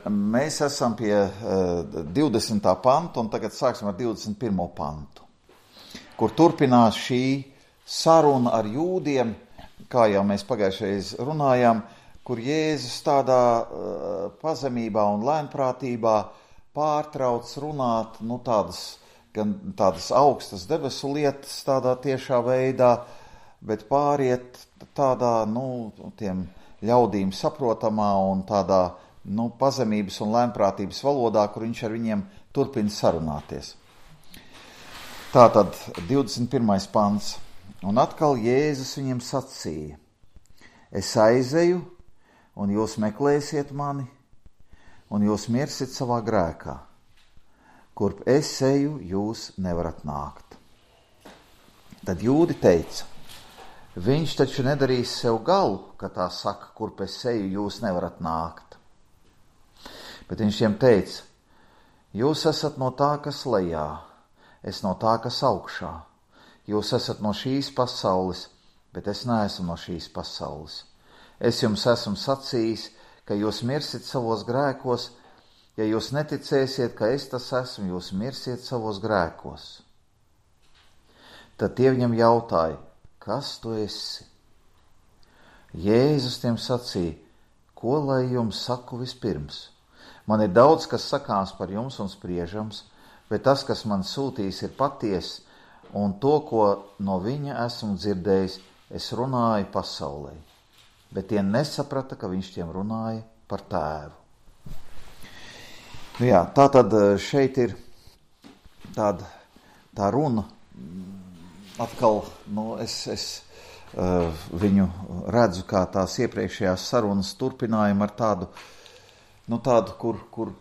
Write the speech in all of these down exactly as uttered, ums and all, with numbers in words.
Mēs esam pie uh, divdesmitā panta, un tagad sāksim ar divdesmit pirmo pantu, kur turpinās šī saruna ar jūdiem, kā jau mēs pagājušreiz runājām, kur Jēzus tādā uh, pazemībā un lēnprātībā pārtrauc runāt, nu tādas, gan tādas augstas debesu lietas tādā tiešā veidā, bet pāriet tādā, nu, tiem ļaudīm saprotamā un tādā, nu, pazemības un lēnprātības valodā, kur viņš ar viņiem turpina sarunāties. Tātad divdesmit pirmais pants. Un atkal Jēzus viņiem sacīja: es aizeju, un jūs meklēsiet mani, un jūs mirsit savā grēkā. Kurp es eju, jūs nevarat nākt. Tad jūdi teica: viņš taču nedarīs sev galu, ka tā saka, kurp es eju, jūs nevarat nākt. Bet viņš tiem teica: jūs esat no tā, kas lejā, es no tā, kas augšā. Jūs esat no šīs pasaules, bet es neesmu no šīs pasaules. Es jums esmu sacījis, ka jūs mirsit savos grēkos. Ja jūs neticēsiet, ka es tas esmu, jūs mirsiet savos grēkos. Tad tie viņam jautāja: kas tu esi? Jēzus tiem sacīja: ko lai jums saku vispirms? Man ir daudz, kas sakāms par jums un spriežams, bet tas, kas man sūtīs, ir patiess, un to, ko no viņa esmu dzirdējis, es runāju pasaulē. Bet tie nesaprata, ka viņš tiem runāja par tēvu. Nu jā, tā tad šeit ir tāda tā runa. Atkal, nu, es, es uh, viņu redzu kā tās iepriekšējās sarunas turpinājumu ar tādu, nu, tādu, kur, kur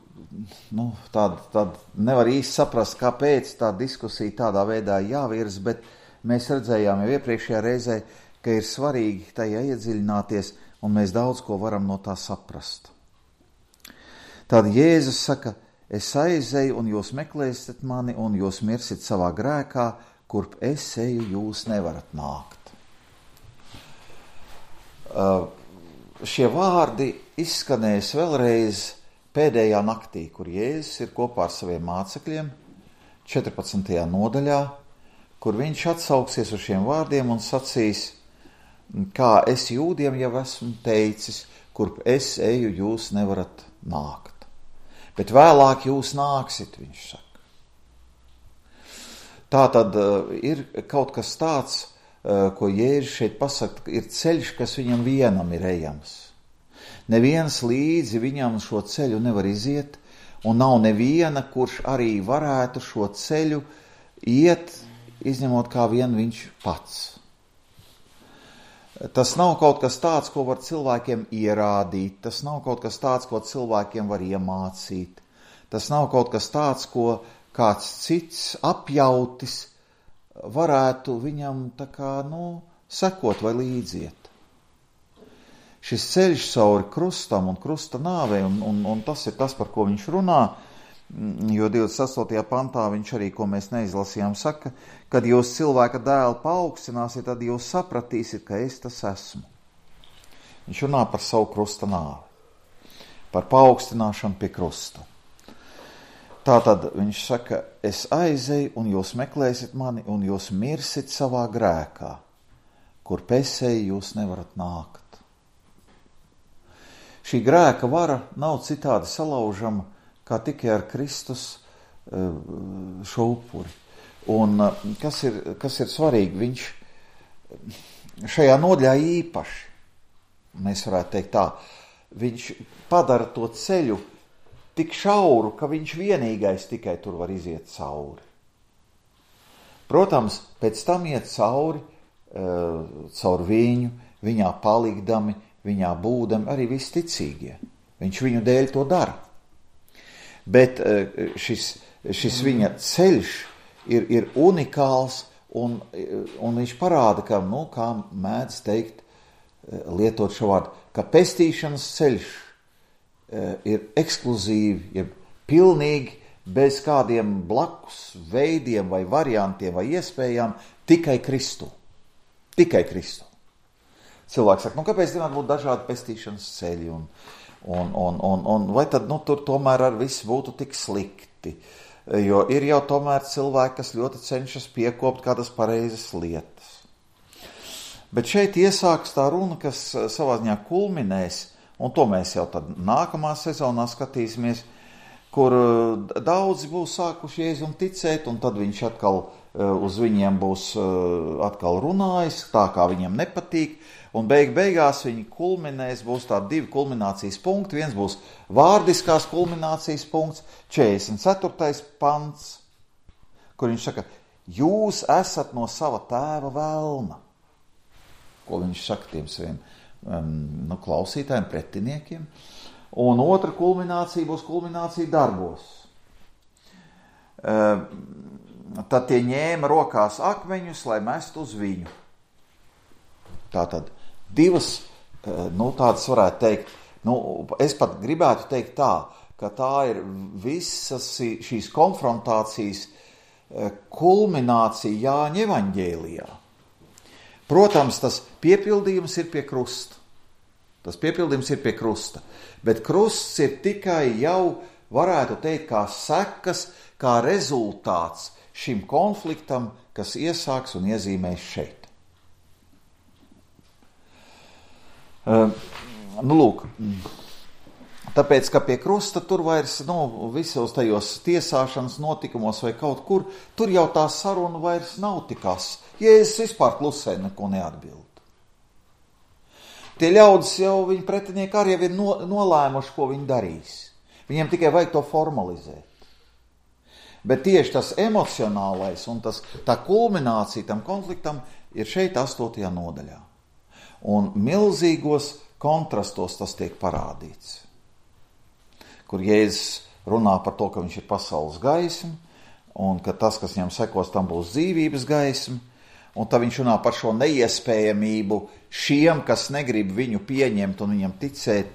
nu, tādu, tādu nevar īsti saprast, kāpēc tā diskusija tādā veidā jāvirz, bet mēs redzējām jau iepriekšējā reizē, ka ir svarīgi tajā iedziļināties, un mēs daudz ko varam no tā saprast. Tad Jēzus saka: es aizeju, un jūs meklēsiet mani, un jūs mirsit savā grēkā, kurp es eju, jūs nevarat nākt. Uh, šie vārdi izskanēs vēlreiz pēdējā naktī, kur Jēzus ir kopā ar saviem mācekļiem, četrpadsmitajā nodaļā, kur viņš atsauksies uz šiem vārdiem un sacīs: kā es jūdiem jau esmu teicis, kurp es eju, jūs nevarat nākt. Bet vēlāk jūs nāksit, viņš saka. Tā tad uh, ir kaut kas tāds, uh, ko Jēzus šeit pasaka, ir ceļš, kas viņam vienam ir ejams. Neviens līdzi viņam šo ceļu nevar iziet, un nav neviena, kurš arī varētu šo ceļu iet, izņemot kā vien viņš pats. Tas nav kaut kas tāds, ko var cilvēkiem ierādīt, tas nav kaut kas tāds, ko cilvēkiem var iemācīt, tas nav kaut kas tāds, ko kāds cits apjautis varētu viņam tā kā, nu, sekot vai līdziet. Šis ceļš cauri krustam un krusta nāvei, un, un, un tas ir tas, par ko viņš runā, jo divdesmit astotajā pantā viņš arī, ko mēs neizlasījām, saka: kad jūs cilvēka dēlu paaugstināsiet, tad jūs sapratīsiet, ka es tas esmu. Viņš runā par savu krusta nāvi, par paaugstināšanu pie krusta. Tātad viņš saka: es aizeju, un jūs meklēsiet mani, un jūs mirsit savā grēkā, kur es eju, jūs nevarat nākt. Šī grēka vara nav citādi salaužama, kā tikai ar Kristus šo upuri. Un kas ir, kas ir svarīgi, viņš šajā nodaļā īpaši, mēs varētu teikt tā, viņš padara to ceļu tik šauru, ka viņš vienīgais tikai tur var iziet cauri. Protams, pēc tam iet cauri, caur viņu, viņā palikdami, viņā būdami arī visticīgie. Viņš viņu dēļ to dara. Bet šis, šis viņa ceļš ir, ir unikāls, un, un viņš parāda, ka, nu, kā mēdz teikt, lietot šo vārdu, ka pestīšanas ceļš ir ekskluzīvi, ja pilnīgi bez kādiem blakus veidiem vai variantiem vai iespējām, tikai Kristu. Tikai Kristu. Cilvēks saka, nu kāpēc nevar būt dažādi pestīšanas ceļi un, Un, un, un, un vai tad, nu, tur tomēr ar visu būtu tik slikti? Jo ir jau tomēr cilvēki, kas ļoti cenšas piekopt kādas pareizas lietas. Bet šeit iesāks tā runa, kas savā ziņā kulminēs, un to mēs jau tad nākamā sezonā skatīsimies, kur daudzi būs sākuši Jēzum ticēt, un tad viņš atkal uz viņiem būs atkal runājis, tā kā viņiem nepatīk, un beig beigās viņi kulminēs, būs tādi divi kulminācijas punkti, viens būs vārdiskās kulminācijas punkts, četrdesmit ceturtais pants, kur viņš saka, jūs esat no sava tēva velna, ko viņš saka tiem saviem um, nu, klausītājiem, pretiniekiem, un otra kulminācija būs kulminācija darbos. Uh, tad tie ņēma rokās akmeņus, lai mestu uz viņu. Tātad divas, nu tādas varētu teikt, nu es pat gribētu teikt tā, ka tā ir visas šīs konfrontācijas kulminācija Jāņa evaņģēlijā. Protams, tas piepildījums ir pie krusta. Tas piepildījums ir pie krusta. Bet krusts ir tikai jau, varētu teikt, kā sekas, kā rezultāts šim konfliktam, kas iesāks un iezīmēs šeit. Uh, nu, lūk, tāpēc, ka pie krusta tur vairs, nu, visos tajos tiesāšanas notikumos vai kaut kur, tur jau tā saruna vairs nav tikas. Jēzus vispār klusē neko neatbild. Tie ļaudis jau, viņi pretinieki arī jau ir no, nolēmuši, ko viņi darīs. Viņiem tikai vajag to formalizēt. Bet tieši tas emocionālais un tas, tā kulminācija tam konfliktam ir šeit astotajā nodaļā. Un milzīgos kontrastos tas tiek parādīts, kur Jēzus runā par to, ka viņš ir pasaules gaisma, un ka tas, kas viņam sekos, tam būs dzīvības gaisma, un tad viņš runā par šo neiespējamību šiem, kas negrib viņu pieņemt un viņam ticēt,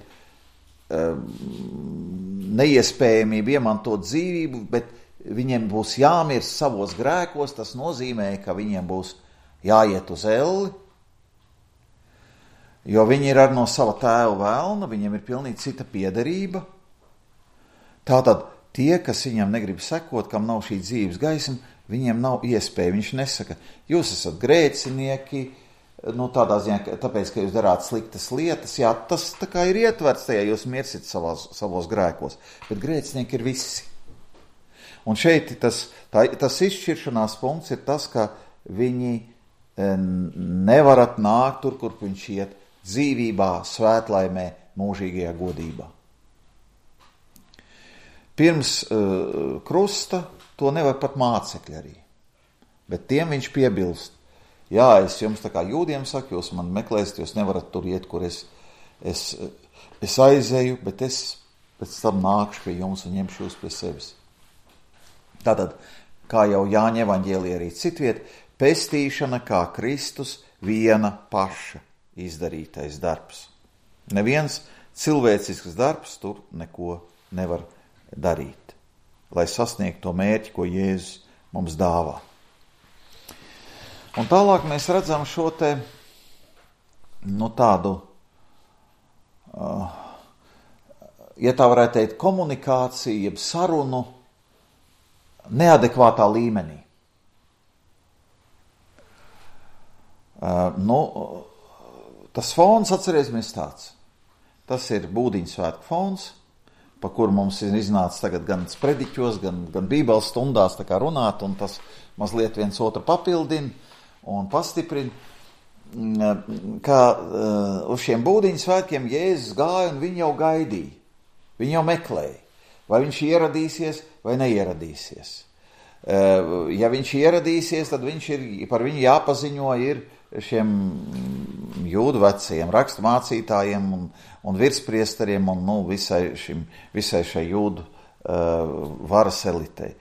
neiespējamību iemantot dzīvību, bet viņiem būs jāmirst savos grēkos, tas nozīmē, ka viņiem būs jāiet uz elli, jo viņi ir ar no sava tēva velna, viņiem ir pilnīgi cita piederība. Tātad tie, kas viņam negrib sekot, kam nav šī dzīves gaisma, viņiem nav iespēja. Viņš nesaka, jūs esat grēcinieki, nu tādā ziņā, tāpēc, ka jūs darāt sliktas lietas, jā, tas tā kā ir ietverts tajā, jūs mirsit savās, savos grēkos, bet grēcinieki ir visi. Un šeit tas, tā, tas izšķiršanās punkts ir tas, ka viņi nevarat nākt tur, kur viņš iet, dzīvībā, svētlaimē, mūžīgajā godībā. Pirms uh, krusta to nevar pat mācekļi arī, bet tiem viņš piebilst, jā, es jums tā kā jūdiem saku, jūs man meklēsiet, jūs nevarat tur iet, kur es, es, es aizēju, bet es pēc tam nākšu pie jums un ņemšu jūs pie sevis. Tātad, kā jau Jāņa evaņģēlijā arī citviet, pestīšana kā Kristus viena paša izdarītais darbs. Neviens cilvēcisks darbs tur neko nevar darīt, lai sasniegtu to mērķi, ko Jēzus mums dāvā. Un tālāk mēs redzam šo te, nu tādu, uh, ja tā varētu teikt, komunikāciju, jeb sarunu neadekvātā līmenī. Uh, nu, tas fons, atcerēsimies tāds, tas ir Būdiņu svētku fons, pa kuru mums ir iznācis tagad gan sprediķos, gan, gan bībeles stundās tā kā runāt, un tas mazliet viens otru papildina un pastiprina, ka uh, uz šiem Būdiņu svētkiem Jēzus gāja un viņi jau gaidīja, viņi jau meklēja, vai viņš ieradīsies vai neieradīsies. Uh, ja viņš ieradīsies, tad viņš ir, par viņu jāpaziņo ir šiem jūdu vecajiem raksturmācītājiem un, un virspriesteriem un nu, visai, šim, visai šai jūdu uh, varas elitei,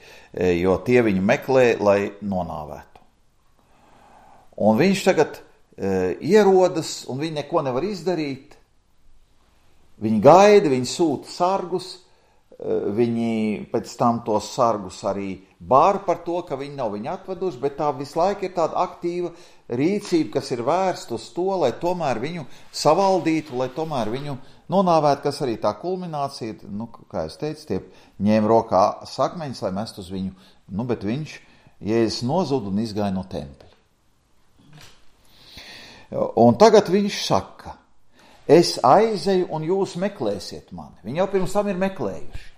jo tie viņu meklē, lai nonāvētu. Un viņš tagad uh, ierodas un viņi neko nevar izdarīt. Viņi gaida, viņi sūta sargus, viņi pēc tam tos sargus arī bāra par to, ka viņi nav viņu atveduši, bet tā visu laiku ir tāda aktīva rīcība, kas ir vērsta uz to, lai tomēr viņu savaldītu, lai tomēr viņu nonāvētu, kas arī tā kulminācija, nu, kā es teicu, tie ņēma rokā sakmeņus, lai mest uz viņu, nu, bet viņš, Jēzus nozuda un izgāja no tempļa. Un tagad viņš saka, es aizeju un jūs meklēsiet mani. Viņi jau pirms tam ir meklējuši.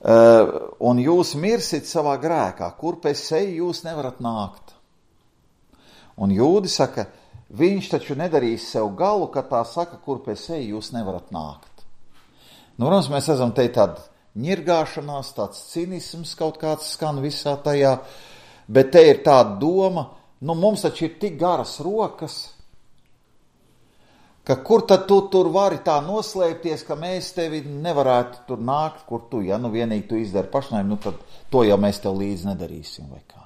Uh, un jūs mirsit savā grēkā, kur pēc eju jūs nevarat nākt. Un jūdi saka, viņš taču nedarīs sev galu, ka tā saka, kur pēc eju jūs nevarat nākt. Nu, protams, mēs esam te tāda ņirgāšanās, tāds cinisms kaut kāds skan visā tajā, bet te ir tāda doma, nu, mums taču ir tik garas rokas, ka kur tad tu tur vari tā noslēpties, ka mēs tevi nevarētu tur nākt, kur tu, ja nu vienīgi tu izdari pašnājumu, nu tad to jau mēs tev līdzi nedarīsim, vai kā.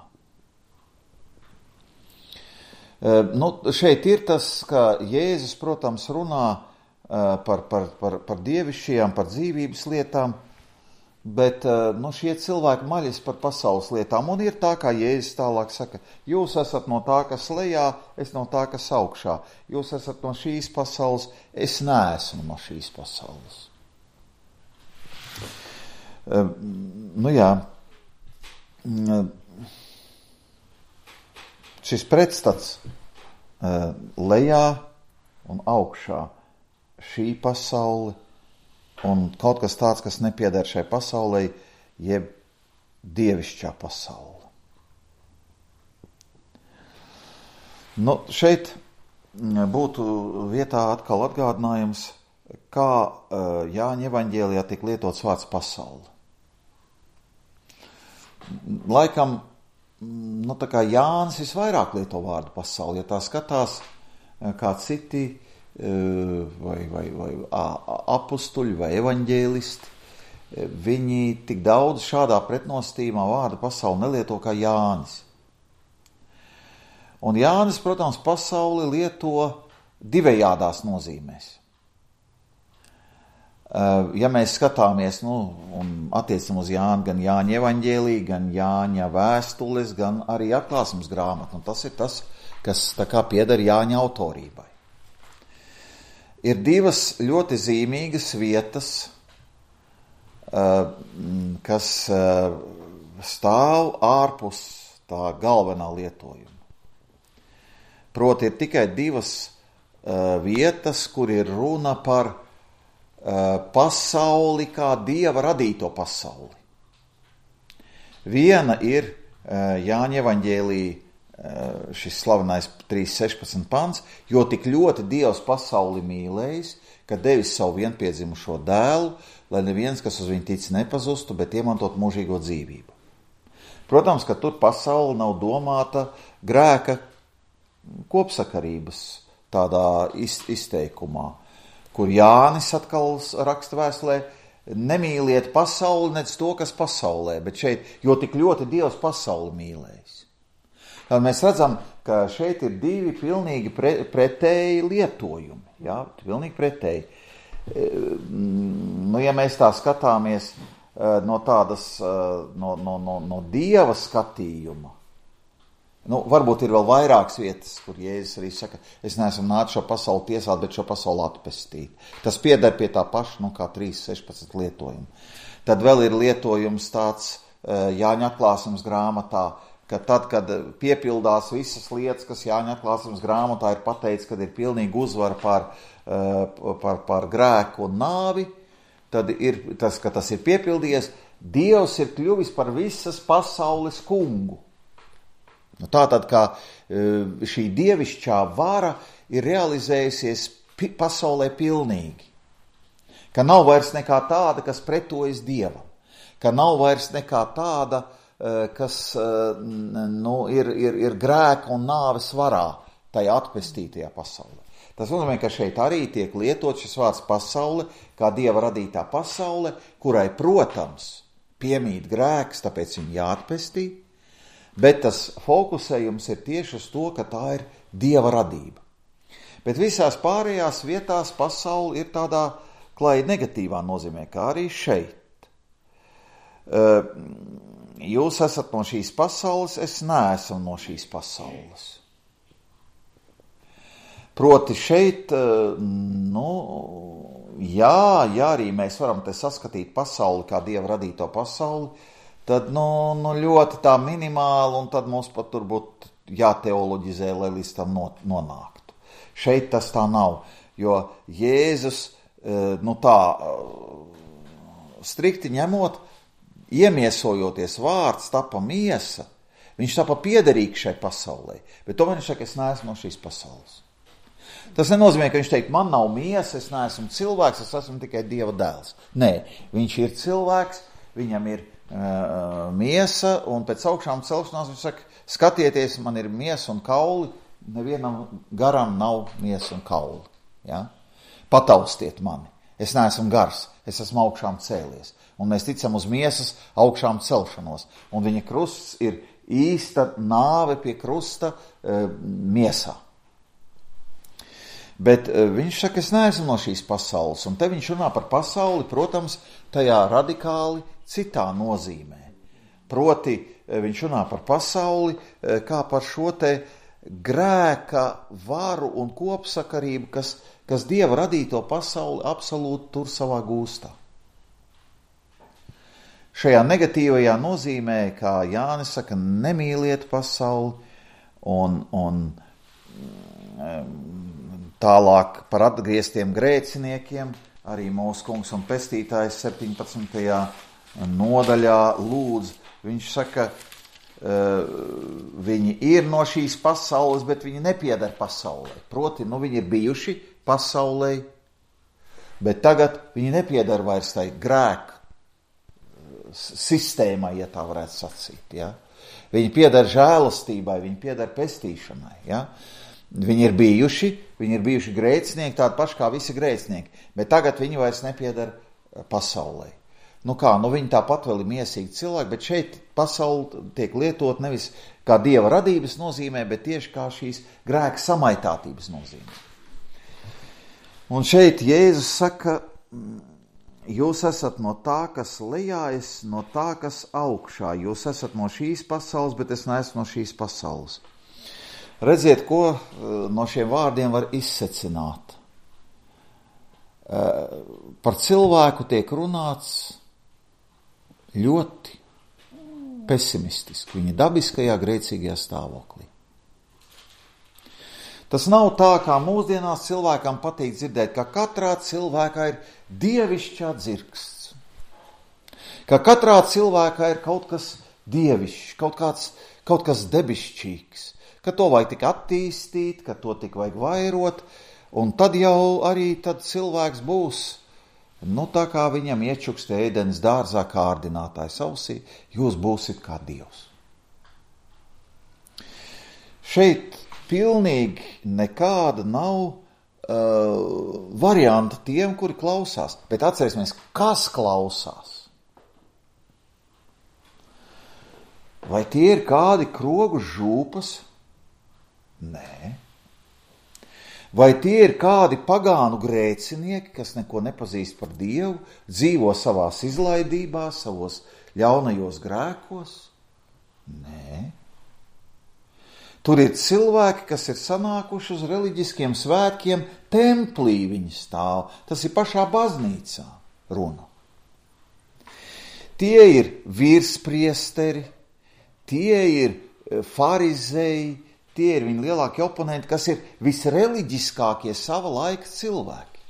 Uh, nu, šeit ir tas, ka Jēzus, protams, runā uh, par, par, par, par dievišķajām, par dzīvības lietām, bet uh, nu, šie cilvēki maļas par pasaules lietām, un ir tā, kā Jēzus tālāk saka, jūs esat no tā, kas lejā, es no tā, kas augšā. Jūs esat no šīs pasaules, es neesmu no šīs pasaules. Uh, nu jā, uh, šis pretstats uh, lejā un augšā, šī pasaule, un kaut kas tāds, kas nepieder šai pasaulē, jeb dievišķā pasaule. Nu, šeit būtu vietā atkal atgādinājums, kā uh, Jāņa evaņģēlijā tik lietots vārds pasaule. Laikam, nu, tā kā Jānis visvairāk lieto vārdu pasauli, ja tā skatās, kā citi vai, vai, vai apustuļi vai evaņģēlisti, viņi tik daudz šādā pretnostījumā vārdu pasauli nelieto kā Jānis. Un Jānis, protams, pasauli lieto divējādās nozīmēs. Ja mēs skatāmies, nu, un attiecam uz Jānu, gan Jāņa evaņģēlī, gan Jāņa vēstules, gan arī atklāsmes grāmatu, un tas ir tas, kas tā kā pieder Jāņa autorībai. Ir divas ļoti zīmīgas vietas, kas stāv ārpus tā galvenā lietojuma. Proti ir tikai divas vietas, kur ir runa par pasauli kā Dieva radīto pasauli. Viena ir Jāņa evaņģēlī šis slavenais trīs sešpadsmit pants, jo tik ļoti Dievs pasauli mīlējis, ka devis savu vienpiedzimušo dēlu, lai neviens, kas uz viņu tic, nepazustu, bet iemantot mūžīgo dzīvību. Protams, ka tur pasaule nav domāta grēka kopsakarības tādā izteikumā, kur Jānis atkal raksta vēstulē, nemīliet pasauli, nec to, kas pasaulē, bet šeit, jo tik ļoti Dievs pasauli mīlējis. Tad mēs redzam, ka šeit ir divi pilnīgi pre, pretēji lietojumi. Jā, pilnīgi pretēji. Nu, ja mēs tā skatāmies no tādas, no, no, no, no Dieva skatījuma, nu, varbūt ir vēl vairākas vietas, kur Jēzus arī saka, es neesmu nācis šo pasauli tiesāt, bet šo pasauli atpestīt. Tas pieder pie tā paša, nu, kā trīs sešpadsmit lietojumu. Tad vēl ir lietojums tāds Jāņa atklāsmes grāmatā, ka tad, kad piepildās visas lietas, kas Jāņa atklāsmes grāmatā ir pateicis, kad ir pilnīgi uzvara pār, pār, pār grēku un nāvi, tad ir tas, ka tas ir piepildījies, Dievs ir kļuvis par visas pasaules kungu. Nu, tātad, kā šī dievišķā vara ir realizējusies pasaulē pilnīgi, ka nav vairs nekā tāda, kas pretojas Dievam, ka nav vairs nekā tāda, kas nu, ir, ir, ir grēka un nāves varā tajā atpestītajā pasaulē. Tas nozīmē, ka šeit arī tiek lietot šis vārds pasaule, kā Dieva radītā pasaule, kurai, protams, piemīt grēks, tāpēc viņu jāatpestī, bet tas fokusējums ir tieši uz to, ka tā ir Dieva radība. Bet visās pārējās vietās pasaule ir tādā klāji negatīvā nozīmē, kā arī šeit. Jūs esat no šīs pasaules, es neesmu no šīs pasaules. Proti šeit, nu, jā, jā, arī mēs varam te saskatīt pasauli kā Dieva radīto pasauli, tad, nu, nu ļoti tā minimāli, un tad mums pat tur būtu jāteoloģizē, lai līdz tam nonāktu. Šeit tas tā nav, jo Jēzus, nu tā, strikti ņemot, iemiesojoties vārds, tapa miesa, viņš tapa piederīgs šai pasaulē, bet tomēr viņš saka, es neesmu no šīs pasaules. Tas nenozīmē, ka viņš teikt, man nav miesa, es neesmu cilvēks, es esmu tikai Dieva dēls. Nē, viņš ir cilvēks, viņam ir uh, miesa, un pēc augšām celšanās viņš saka, skatieties, man ir miesa un kauli, nevienam garam nav miesa un kauli. Ja? Pataustiet mani, es neesmu gars, es esmu augšām cēlies. Un mēs ticam uz miesas augšām celšanos. Un viņa krusts ir īsta nāve pie krusta uh, miesā. Bet viņš saka, es neesmu no šīs pasaules, un te viņš runā par pasauli, protams, tajā radikāli citā nozīmē. Proti, viņš runā par pasauli kā par šo te grēka varu un kopsakarību, kas, kas Dieva radīto pasauli absolūti tur savā gūstā. Šajā negatīvajā nozīmē, kā Jānis saka, nemīliet pasauli un, un tālāk par atgrieztiem grēciniekiem, arī mūsu kungs un pestītājs septiņpadsmitajā nodaļā lūdz. Viņš saka, viņi ir no šīs pasaules, bet viņi nepieder pasaulē. Proti, nu viņi ir bijuši pasaulē, bet tagad viņi nepieder vairs tai grēku sistēmai, ja tā varētu sacīt. Ja? Viņi pieder žēlastībai, viņi pieder pestīšanai. Ja? Viņi ir bijuši, viņi ir bijuši grēcinieki, tādi paši kā visi grēcinieki, bet tagad viņi vairs nepieder pasaulē. Nu kā, nu viņi tāpat vēl ir miesīgi cilvēki, bet šeit pasauli tiek lietot nevis kā Dieva radības nozīmē, bet tieši kā šīs grēka samaitātības nozīmē. Un šeit Jēzus saka, jūs esat no tā, kas lejā, es no tā, kas augšā. Jūs esat no šīs pasaules, bet es neesmu no šīs pasaules. Redziet, ko no šiem vārdiem var izsecināt. Par cilvēku tiek runāts ļoti pesimistiski, viņa dabiskajā grēcīgajā stāvoklī. Tas nav tā, kā mūsdienās cilvēkam patīk dzirdēt, ka katrā cilvēkā ir dievišķā dzirksts. Ka katrā cilvēkā ir kaut kas dievišķs, kaut, kāds, kaut kas debišķīgs. Ka to vajag tik attīstīt, ka to tik vajag vairot, un tad jau arī tad cilvēks būs, nu tā kā viņam iečukstē ēdens dārzā kārdinātājs ausī, jūs būsit kā Dievs. Šeit pilnīgi nekāda nav uh, varianta tiem, kuri klausās, bet atcerēsimies, kas klausās. Vai tie ir kādi krogu žūpas? Nē. Vai tie ir kādi pagānu grēcinieki, kas neko nepazīst par Dievu, dzīvo savās izlaidībās, savos ļaunajos grēkos? Nē. Tur ir cilvēki, kas ir sanākuši uz reliģiskiem svētkiem, templī viņi stāv. Tas ir pašā baznīcā runa. Tie ir virspriesteri, tie ir farizēji, tie ir viņa lielākie oponenti, kas ir visreliģiskākie sava laika cilvēki.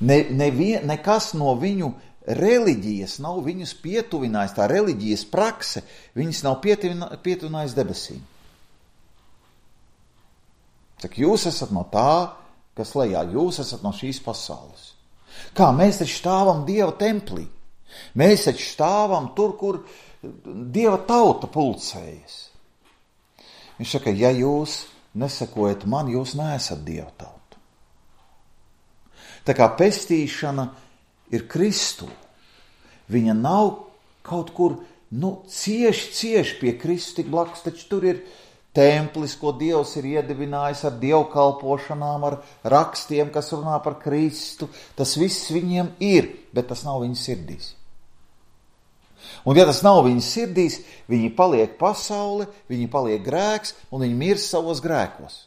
Ne, nevien, nekas no viņu reliģijas nav viņus pietuvinājis, tā reliģijas prakse, viņus nav pietuvinājis debesīm. Saka, jūs esat no tā, kas lejā, jūs esat no šīs pasaules. Kā, mēs taču stāvam Dieva templī. Mēs taču stāvam tur, kur Dieva tauta pulcējas. Viņš saka, ja jūs nesakojat man, jūs neesat Dieva tauta. Tā kā pestīšana ir Kristū. Viņa nav kaut kur, nu, cieši, cieši pie Kristu tik blakus, taču tur ir, templis, ko Dievs ir iedibinājis ar dievkalpošanām, ar rakstiem, kas runā par Kristu. Tas viss viņiem ir, bet tas nav viņu sirdīs. Un ja tas nav viņu sirdīs, viņi paliek pasaule, viņi paliek grēks un viņi mirst savos grēkos.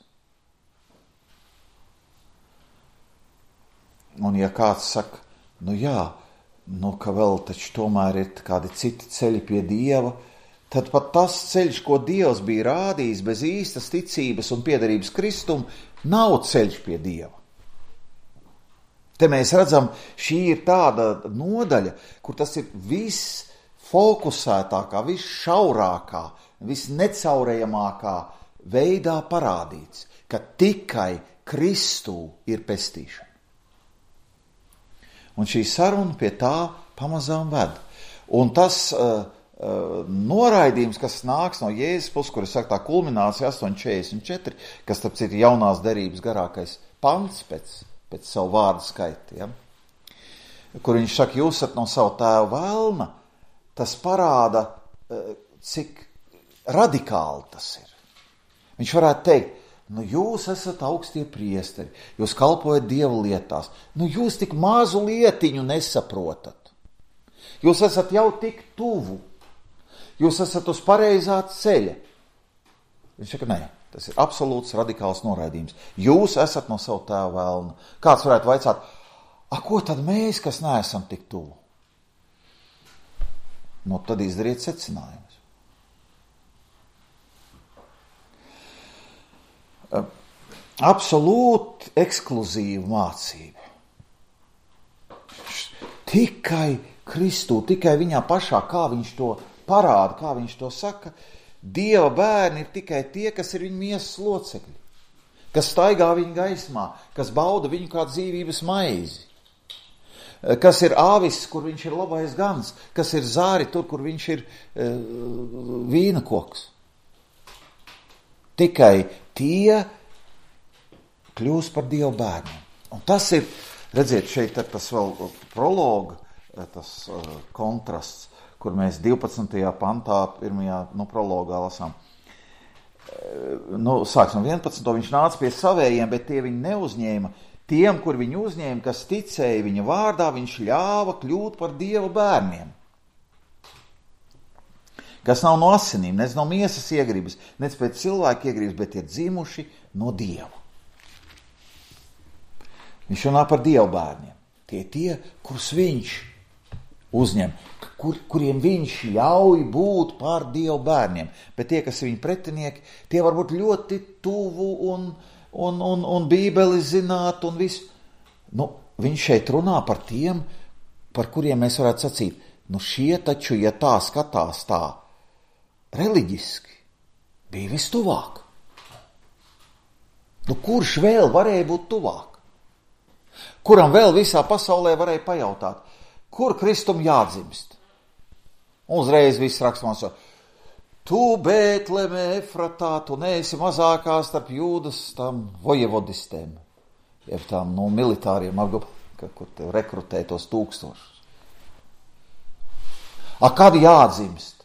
Un ja kāds saka, nu jā, nu ka vēl taču tomēr ir kādi citi ceļi pie Dieva, tad pat tas ceļš, ko Dievs bija rādījis bez īstas ticības un piederības Kristum, nav ceļš pie Dieva. Te mēs redzam, šī ir tāda nodaļa, kur tas ir viss fokusētākā, viss šaurākā, viss necaurējamākā veidā parādīts, ka tikai Kristū ir pestīšana. Un šī saruna pie tā pamazām ved. Un tas uh, uh, noraidījums, kas nāks no Jēzus puses, kur es saku tā kulminācija astoņi četrdesmit četri, kas tāpēc ir jaunās derības garākais pants pēc, pēc savu vārdu skaita, ja? Kur viņš saka, jūs esat no savu tēvu vēlna, tas parāda, uh, cik radikāli tas ir. Viņš varētu teikt, nu jūs esat augstie priesteri, jūs kalpojat Dieva lietās, nu jūs tik mazu lietiņu nesaprotat. Jūs esat jau tik tuvu, jūs esat uz pareizā ceļa. Viņš saka, nē, tas ir absolūts radikāls noraidījums. Jūs esat no savu tēvu vēlna. Kāds varētu vaicāt, a ko tad mēs, kas neesam tik tuvu? Nu, tad izdariet secinājumus. Absolūti ekskluzīva mācība. Tikai Kristū, tikai viņā pašā, kā viņš to parāda, kā viņš to saka, Dieva bērni ir tikai tie, kas ir viņa miesas locekļi, kas staigā viņa gaismā, kas bauda viņu kā dzīvības maizi, kas ir āvis, kur viņš ir labais gans, kas ir zāri tur, kur viņš ir uh, vīna koks. Tikai tie kļūst par Dieva bērniem. Un tas ir, redziet, šeit ir tas vēl prologa, tas uh, kontrasts, kur mēs divpadsmitajā pantā, pirmajā, nu, prologā lasām. Uh, nu, sāksim vienpadsmito viņš nāca pie savējiem, bet tie viņi neuzņēma. Tiem, kur viņu uzņēma, kas ticēja viņa vārdā, viņš ļāva kļūt par Dieva bērniem. Kas nav no asinīm, nec no miesas iegribas, nec pēc cilvēka iegribas, bet ir dzimuši no Dieva. Viņš runā par Dieva bērniem. Tie tie, kurus viņš uzņem, kur, kuriem viņš ļauj būt par Dieva bērniem. Bet tie, kas ir viņa pretinieki, tie var būt ļoti tuvu un, un, un, un bībeli zināt un visu. Nu, viņš šeit runā par tiem, par kuriem mēs varētu sacīt, nu šie taču, ja tā skatās tā, reliģiski, bija vistuvāk. Nu, kurš vēl varēja būt tuvāk? Kuram vēl visā pasaulē varēja pajautāt, kur Kristum jādzimst? Uzreiz viss raksmās, tu Bētlemē Efratā, tu neesi mazākā starp Jūdas tam vojevodistēm, jeb tām no militāriem, kur tev rekrutē tos tūkstošus. A, kad jādzimst?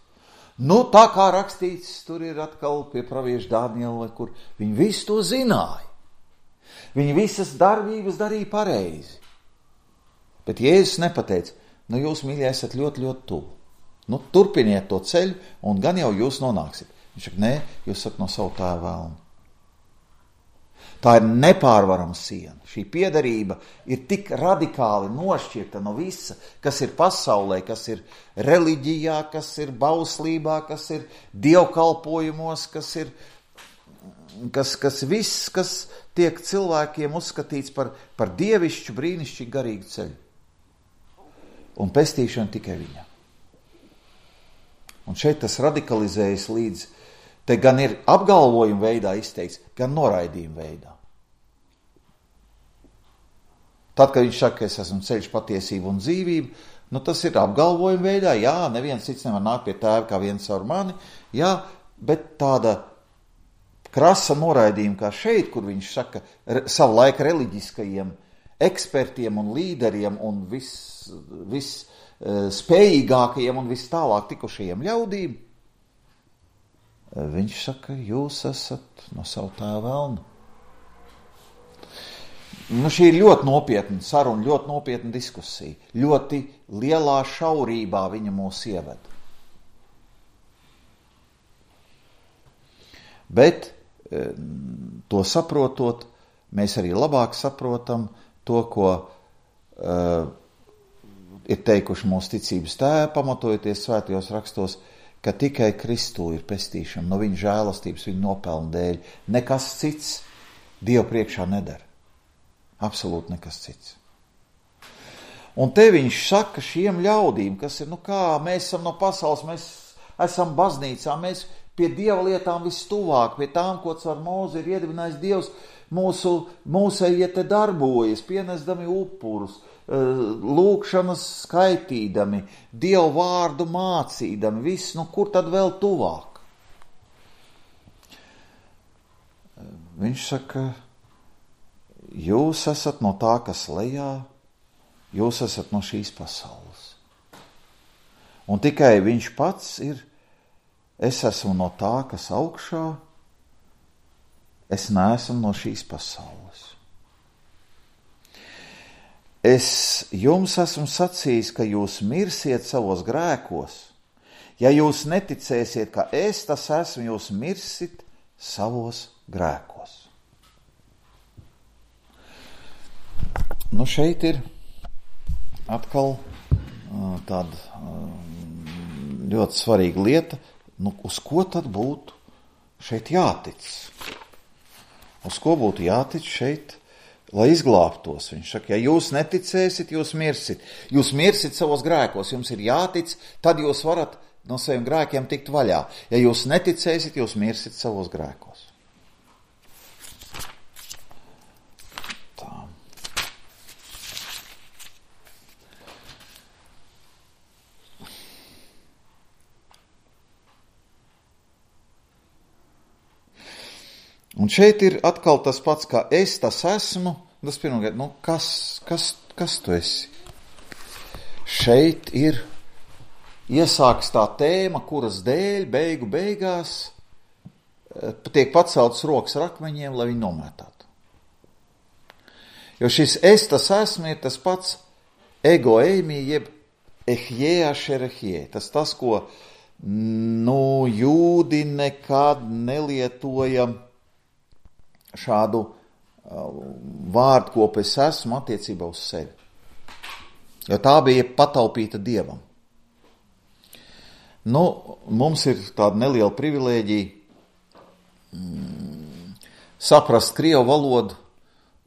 Nu, tā kā rakstīts, tur ir atkal pie pravieša Daniela, kur viņi visu to zināja. Viņi visas darbības darīja pareizi. Bet Jēzus nepateica, nu jūs, mīļie, esat ļoti, ļoti tuvu. Nu, turpiniet to ceļu, un gan jau jūs nonāksiet. Viņš saka, nē, jūs esat no savu tēvu vēlnu. Tā ir nepārvarama siena. Šī piederība ir tik radikāli nošķirta no visa, kas ir pasaulē, kas ir reliģijā, kas ir bauslībā, kas ir dievkalpojumos, kas ir kas, kas viss, kas tiek cilvēkiem uzskatīts par, par dievišķu, brīnišķīgu, garīgu ceļu. Un pestīšana tikai viņam. Un šeit tas radikalizējas līdz, te gan ir apgalvojuma veidā izteikts, gan noraidījuma veidā. Tad, kad viņš saka, es esmu ceļš, patiesība un dzīvība, nu tas ir apgalvojuma veidā, jā, neviens cits nevar nākt pie tēva kā viens caur mani, jā, bet tāda krasa noraidījuma kā šeit, kur viņš saka savu laiku reliģiskajiem ekspertiem un līderiem un viss vis, spējīgākajiem un vis tālāk tikušajiem ļaudīm, Viņš saka, jūs esat no savu tēvu velnu. Nu, šī ir ļoti nopietna saruna, ļoti nopietna diskusija. Ļoti lielā šaurībā viņa mūs ieved. Bet to saprotot, mēs arī labāk saprotam to, ko uh, ir teikuši mūsu ticības tēvi, pamatojoties svētajos rakstos, ka tikai Kristū ir pestīšana no viņa žēlastības, viņa nopelna dēļ. Nekas cits Dievu priekšā nedara. Absolūti nekas cits. Un te viņš saka šiem ļaudīm, kas ir, nu kā, mēs esam no pasaules, mēs esam baznīcā, mēs pie Dieva lietām vistuvāk, pie tām, ko caur Mūzi ir iedibinājis Dievs, mūsu, mūsējie te darbojas, pienesdami upurus, lūkšanas skaitīdami, Dievu vārdu mācīdami, viss, nu kur tad vēl tuvāk? Viņš saka, jūs esat no tā, kas lejā, jūs esat no šīs pasaules. Un tikai viņš pats ir, es esmu no tā, kas augšā, es neesmu no šīs pasaules. Es jums esmu sacījis, ka jūs mirsiet savos grēkos. Ja jūs neticēsiet, ka es tas esmu, jūs mirsit savos grēkos. Nu, šeit ir atkal tāda ļoti svarīga lieta, nu, uz ko tad būtu šeit jātic? Uz ko būtu jātic šeit, lai izglābtos? Viņš saka, ja jūs neticēsit, jūs mirsit. Jūs mirsit savos grēkos, jums ir jātic, tad jūs varat no saviem grēkiem tikt vaļā. Ja jūs neticēsit, jūs mirsit savos grēkos. Tā. Un šeit ir atkal tas pats, kā es tas esmu. Tas pirmkārt, nu kas, kas, kas tu esi? Šeit ir iesāks tā tēma, kuras dēļ beigu beigās tiek paceltas rokas ar akmeņiem, lai viņi nomētātu. Jo šis es tas esmu ir tas pats ego eimi, jeb ehjē ašerehjē. Tas tas, ko nu, jūdi nekad nelietoja šādu vārdu, ko es esmu attiecībā uz sevi. Jo tā bija pataupīta Dievam. Nu, mums ir tāda neliela privilēģija mm, saprast krievu valodu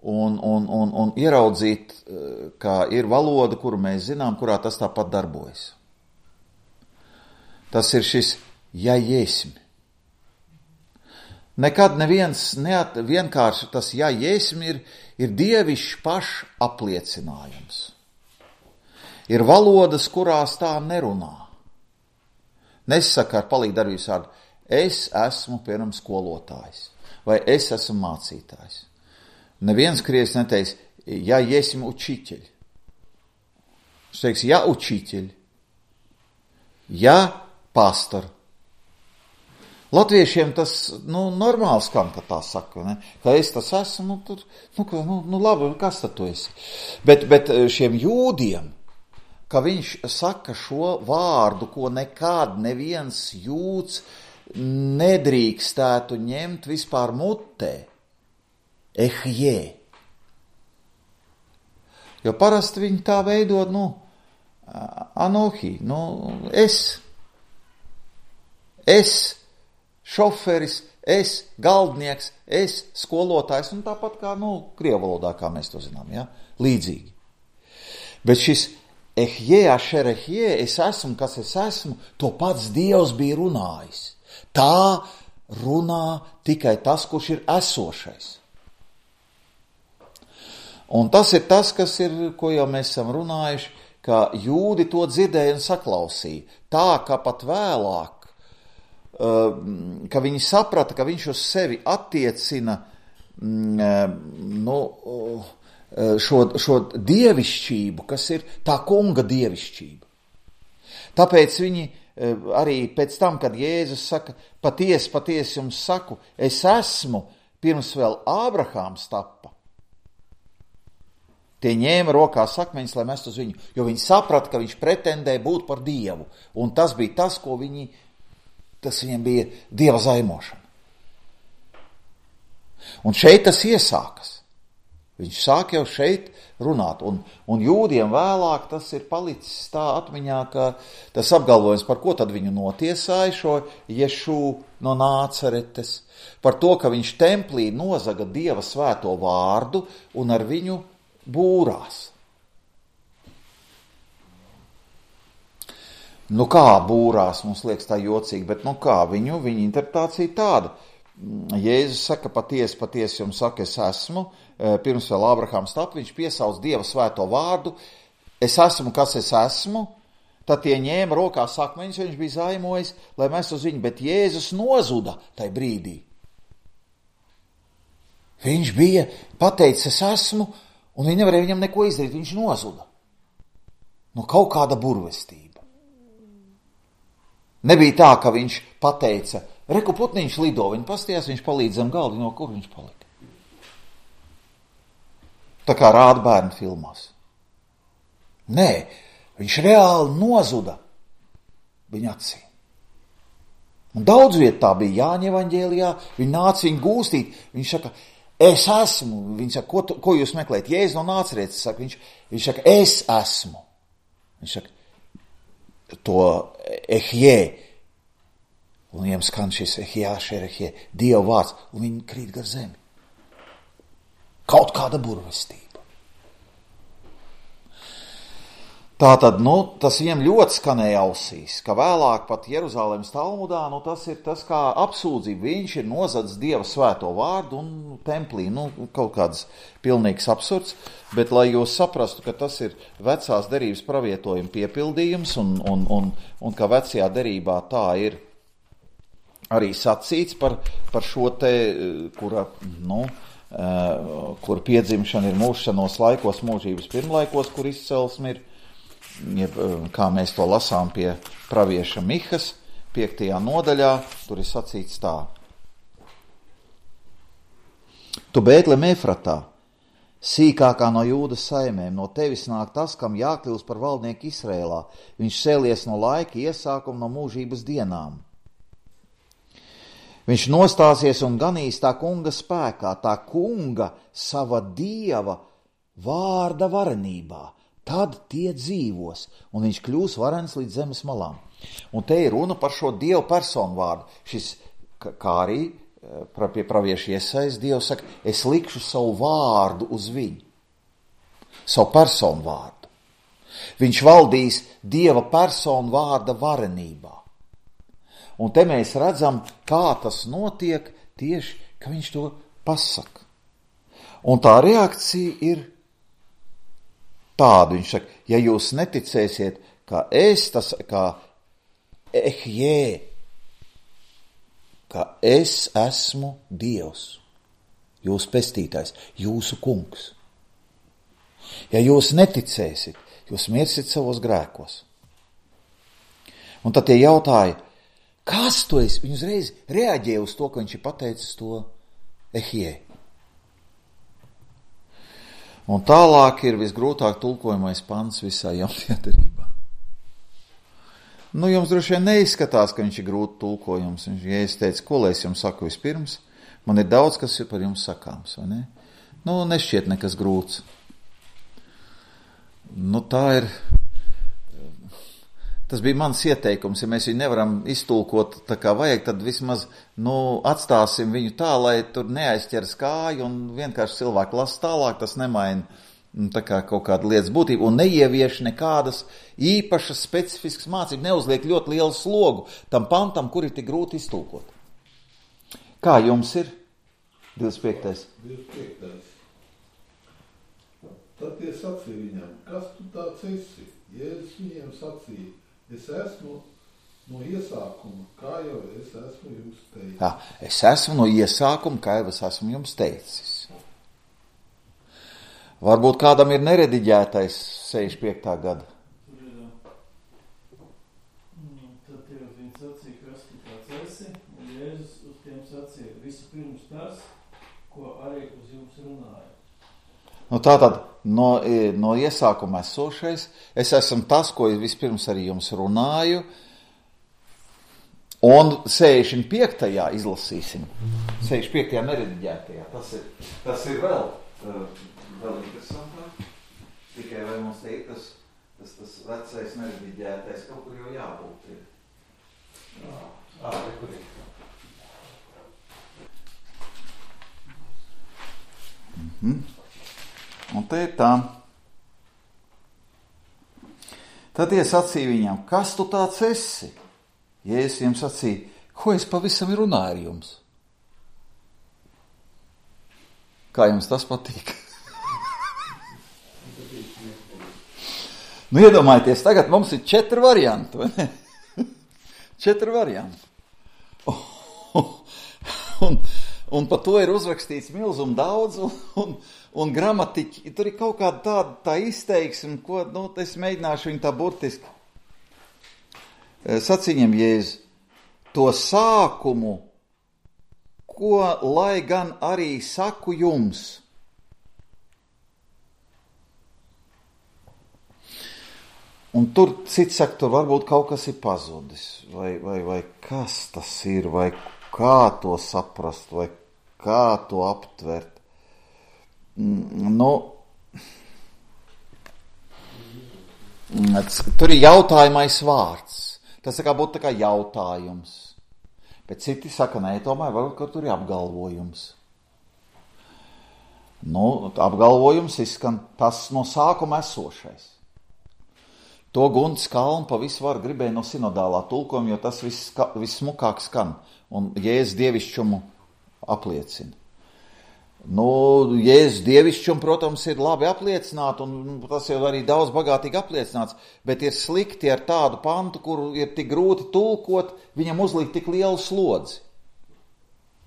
un, un, un, un ieraudzīt, ka ir valoda, kuru mēs zinām, kurā tas tāpat darbojas. Tas ir šis ja-jēsmi. Nekad neviens neat, vienkārši tas ja-jēsmi ir, ir dievišķs pašs apliecinājums. Ir valodas, kurās tā nerunā. Nesaka ar palīgu darbības vārdu, es esmu, piemēram, skolotājs, vai es esmu mācītājs. Neviens krievs neteiks, ja iesim učiteļ. Viņš teiks, ja učiteļ, ja pastor. Latviešiem tas, nu, normāli skan, ka tā saka, ne? Ka es tas esmu, nu, tur, nu, nu, nu labi, kas tad tu esi? Bet, bet šiem jūdiem, ka viņš saka šo vārdu, ko nekad neviens jūds nedrīkstētu ņemt vispār mutē. Ehjē. Jo parasti viņi tā veidot, nu, anohi, nu, es, es, šoferis, es, galdnieks, es, skolotājs, un tāpat kā, nu, krievu valodā, kā mēs to zinām, ja, līdzīgi. Bet šis ehjē, ašerehjē, es esmu, kas es esmu, to pats Dievs bija runājis. Tā runā tikai tas, kurš ir esošais. Un tas ir tas, kas ir, ko jau mēs esam runājuši, ka jūdi to dzirdēja un saklausīja. Tā, ka pat vēlāk, ka viņi saprata, ka viņš uz sevi attiecina nu, šo, šo dievišķību, kas ir tā kunga dievišķība. Tāpēc viņi arī pēc tam, kad Jēzus saka, patiesi, patiesi jums saku, es esmu pirms vēl Ābrahāms tappa. Tie ņēma rokās akmeņus, lai mest uz viņu, jo viņi saprata, ka viņš pretendē būt par Dievu. Un tas bija tas, ko viņi, tas viņiem bija Dieva zaimošana. Un šeit tas iesākas. Viņš sāk jau šeit runāt, un, un jūdiem vēlāk tas ir palicis tā atmiņā, ka tas apgalvojums, par ko tad viņu notiesāja šo Ješu no Nācaretes, par to, ka viņš templī nozaga Dieva svēto vārdu un ar viņu būrās. Nu kā būrās, mums liekas tā jocīgi, bet nu kā, viņu, viņa interpretācija tāda. Jēzus saka, patiesi, patiesi jums saka, es esmu, pirms vēl Ābrahāms tap, viņš piesauc Dieva svēto vārdu, es esmu, kas es esmu, tad tie ņēma rokās akmeņus, viņš bija zaimojis, lai mēs uz viņu, bet Jēzus nozuda tai brīdī. Viņš bija pateicis, es esmu, un viņi nevarēja viņam neko izdarīt, viņš nozuda. Nu, kaut kāda burvestība. Nebija tā, ka viņš pateica, reku putniņš lido, viņi pastījās, viņš palīdz zem galdi, no kur viņš palika. Tā kā rāda bērnu filmās. Nē, viņš reāli nozuda viņa acīm. Un daudz viet tā bija Jāņa evaņģēlijā, viņi nāca viņu gūstīt, viņš saka, es esmu, viņš saka, ko, ko jūs meklējat? Jēzus no Nācaretes saka, viņš, viņš saka, es esmu. Viņš saka, to ehjē, un viņiem skan šis ehjā, šerehjē, Dieva vārds, un viņi krīt gar zemi. Kaut kāda burvestība. Tātad, nu, tas viņiem ļoti skanēja ausīs, ka vēlāk pat Jeruzalemes Talmudā, nu, tas ir tas kā apsūdzība. Viņš ir nozadzis Dieva svēto vārdu un templī, nu, kaut kāds pilnīgs absurds, bet lai jūs saprastu, ka tas ir vecās derības pravietojuma piepildījums un, un, un, un ka vecajā derībā tā ir arī sacīts par, par šo te, kura, nu, kur piedzimšana ir mūžšanos laikos, mūžības pirmlaikos, kur izcelsme ir, kā mēs to lasām pie pravieša Mihas, piektajā nodaļā, tur ir sacīts tā. Tu Bētlem Efratā, sīkākā no Jūdas saimēm, no tevis nāk tas, kam jākļūst par valdnieku Izrēlā. Viņš cēlies no laika iesākuma, no mūžības dienām. Viņš nostāsies un ganīs tā kunga spēkā, tā kunga sava Dieva vārda varenībā. Tad tie dzīvos, un viņš kļūs varens līdz zemes malām. Un te ir runa par šo Dievu personu vārdu. Šis, kā arī pie pravieša Iesajas, Dievs saka, es likšu savu vārdu uz viņu. Savu personu vārdu. Viņš valdīs Dieva personu vārda varenībā. Un te mēs redzam, kā tas notiek tieši, ka viņš to pasaka. Un tā reakcija ir tāda. Viņš saka, ja jūs neticēsiet, kā es, tas kā ehjē, ka es esmu Dievs, jūsu pestītājs, jūsu kungs. Ja jūs neticēsiet, jūs mirsiet savos grēkos. Un tad tie jautāja, kas tu esi? Viņi uzreiz reaģēja uz to, ka viņš ir pateicis to ehjē. Un tālāk ir visgrūtāk tulkojamais pants visā jaunajā derībā. Nu, jums droši vien neizskatās, ka viņš ir grūti tulkojums. Viņš, ja es teicu, ko lai es jums saku vispirms, man ir daudz, kas ir par jums sakāms, vai ne? Nu, nešķiet nekas grūts. Nu, tā ir... Tas bija mans ieteikums, ja mēs viņu nevaram iztulkot tā kā vajag, tad vismaz, nu, atstāsim viņu tā, lai tur neaizķeras kāju un vienkārši cilvēki lasa tālāk, tas nemaina tā kā kaut kāda lietas būtība un neievieš nekādas īpašas specifiskas mācības, neuzliek ļoti lielu slogu tam pantam, kur ir tik grūti iztulkot. Kā jums ir? divdesmit piektais. divdesmit piektais. Tad tie sacīja viņam, kas tu tāds esi? Jēzus viņiem sacīja, es esmu no iesākuma, kā jau es esmu jums teicis. Jā, es esmu no iesākuma, kā jau es esmu jums teicis. Varbūt kādam ir nerediģētais sešdesmit piektā gada. Tad Jēzus uz tiem sacīja, vispirms tas, ko arī uz jums runāja. Nu, tātad, no, no iesākuma esošais, es esmu tas, ko vispirms arī jums runāju, un sešdesmit piektajā izlasīsim, sešdesmit piektajā nerediģētajā, tas ir, tas ir vēl, vēl interesantāk, tikai vai mums te ir tas, tas, tas vecais nerediģētais, kaut kur jau jābūt ir. Jā, ā, kur ir. Mhm. Un te ir tā. Tad tie sacīja viņam, kas tu tāds esi? Jēzus viņam sacīja, ko es pavisam runāju ar jums? Kā jums tas patīk? Nu, iedomājieties, tagad mums ir četri varianti, vai ne? Četri varianti. Un, un par to ir uzrakstīts milzum daudz, un, un, un gramatiķi, tur ir kaut kāda tāda tā izteiksme, ko, nu, es mēģināšu viņu tā burtiski. Saciņam Jēzus, to sākumu, ko lai gan arī saku jums. Un tur, cits saka, tur varbūt kaut kas ir pazudis, vai, vai, vai kas tas ir, vai kā to saprast, vai kā to aptvert. Nu, tur ir jautājumais vārds. Tas kā būtu tā kā jautājums. Bet citi saka, nē, tomēr varbūt, ka tur ir apgalvojums. Nu, apgalvojums izskan tas no sākuma esošais. To Gunts Kalns pa visu var gribēja no sinodālā tulkojuma, jo tas viss, viss smukāk skan un Jēzus dievišķumu apliecina. Nu, Jēzus dievišķumu, protams, ir labi apliecināt, un tas jau arī daudz bagātīgi apliecināts, bet ir slikti ar tādu pantu, kuru ir tik grūti tulkot, viņam uzlikt tik lielu slodzi.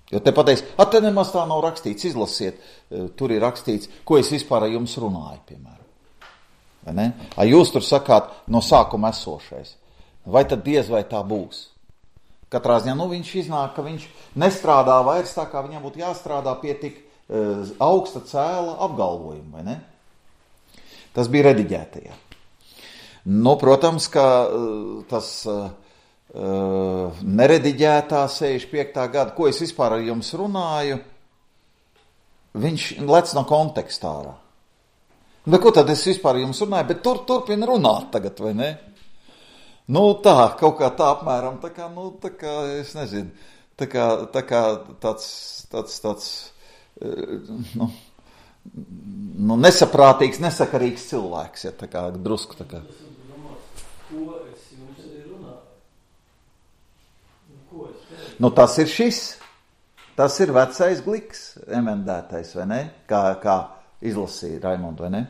Jo te pateiks, a, te nemaz tā nav rakstīts, izlasiet, tur ir rakstīts, ko es vispār ar jums runāju, piemēram. Vai ne? A jūs tur sakāt no sākuma esošais. Vai tad diez vai tā būs? Katrā ziņā, nu, viņš iznāk, ka viņš nestrādā vairs tā, kā viņam būtu jāstrādā pie tik uh, augsta cēla apgalvojuma, vai ne? Tas bija rediģētajā. Nu, protams, ka uh, tas uh, uh, nerediģētā sešdesmit piektā gada, ko es vispār ar jums runāju, viņš lec no kontekstā ārā. Bet ko tad es vispār jums runāju, bet tur turpina runāt tagad, vai ne? Nu tā, kaut kā tā apmēram, tā kā, nu, tā kā, es nezinu, tā kā, tā kā tāds, tāds, tāds, nu, nu, nesaprātīgs, nesakarīgs cilvēks, ja, tā kā drusku, tā kā. Ko es jums arī runāju? Ko es teicu? Nu, tas ir šis, tas ir vecais gliks, emendētais, vai ne? Kā, kā izlasīja Raimondu, vai ne?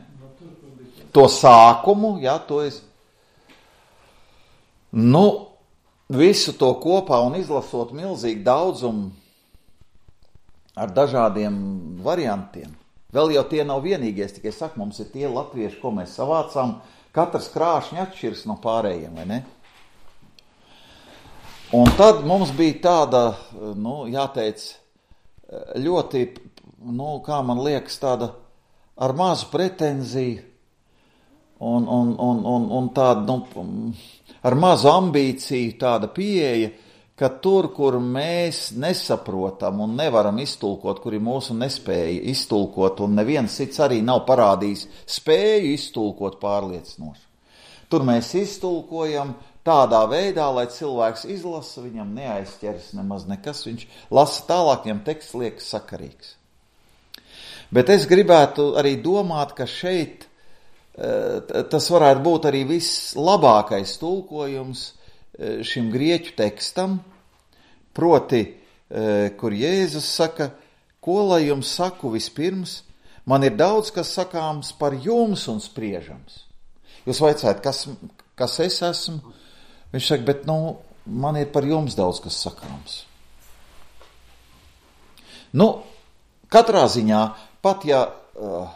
To sākumu, jā, to es. Nu, visu to kopā un izlasot milzīgi daudzumu ar dažādiem variantiem. Vēl jau tie nav vienīgie, tikai saku, mums ir tie latvieši, ko mēs savācām, katrs krāšņi atšķirs no pārējiem, vai ne? Un tad mums bija tāda, nu, jāteic, ļoti, nu, kā man liekas, tāda ar mazu pretenziju un, un, un, un, un tāda, nu, ar mazu ambīciju tāda pieeja, ka tur, kur mēs nesaprotam un nevaram iztulkot, kur ir mūsu nespēja iztulkot, un neviens cits arī nav parādījis spēju iztulkot pārliecinoši. Tur mēs iztulkojam tādā veidā, lai cilvēks izlasa, viņam neaizķeras nemaz nekas, viņš lasa tālāk, viņam teksts liekas sakarīgs. Bet es gribētu arī domāt, ka šeit tas varētu būt arī vislabākais tulkojums šim grieķu tekstam, proti, kur Jēzus saka, ko lai jums saku vispirms, man ir daudz, kas sakāms par jums un spriežams. Jūs vaicājat, kas, kas es esmu? Viņš saka, bet, nu, man ir par jums daudz, kas sakāms. Nu, katrā ziņā, pat ja uh,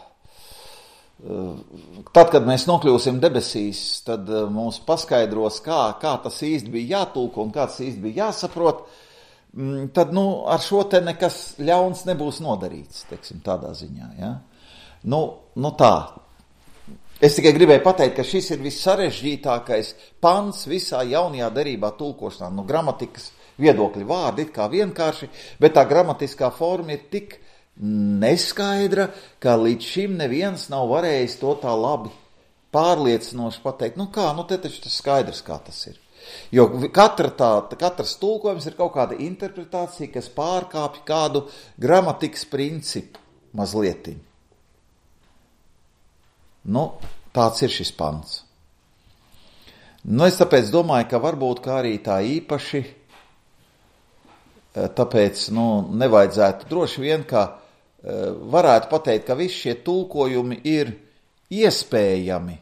tad, kad mēs nokļūsim debesīs, tad mums paskaidros, kā, kā tas īsti bija jātulko un kā tas īsti bija jāsaprot, tad, nu, ar šo te nekas ļauns nebūs nodarīts, teiksim, tādā ziņā, ja? Nu, nu tā. Es tikai gribēju pateikt, ka šis ir vissarežģītākais pants visā jaunajā derībā tulkošanā. Nu, gramatikas viedokļi vārdi it kā vienkārši, bet tā gramatiskā forma ir tik neskaidra, ka līdz šim neviens nav varējis to tā labi pārliecinoši pateikt. Nu kā, nu te taču tas skaidrs, kā tas ir. Jo katra tā, katrs tulkojums ir kaut kāda interpretācija, kas pārkāpj kādu gramatikas principu mazlietiņu. Nu, tāds ir šis pants. Nu, es tāpēc domāju, ka varbūt kā arī tā īpaši, tāpēc, nu, nevajadzētu droši vien, ka varētu pateikt, ka visi šie tulkojumi ir iespējami,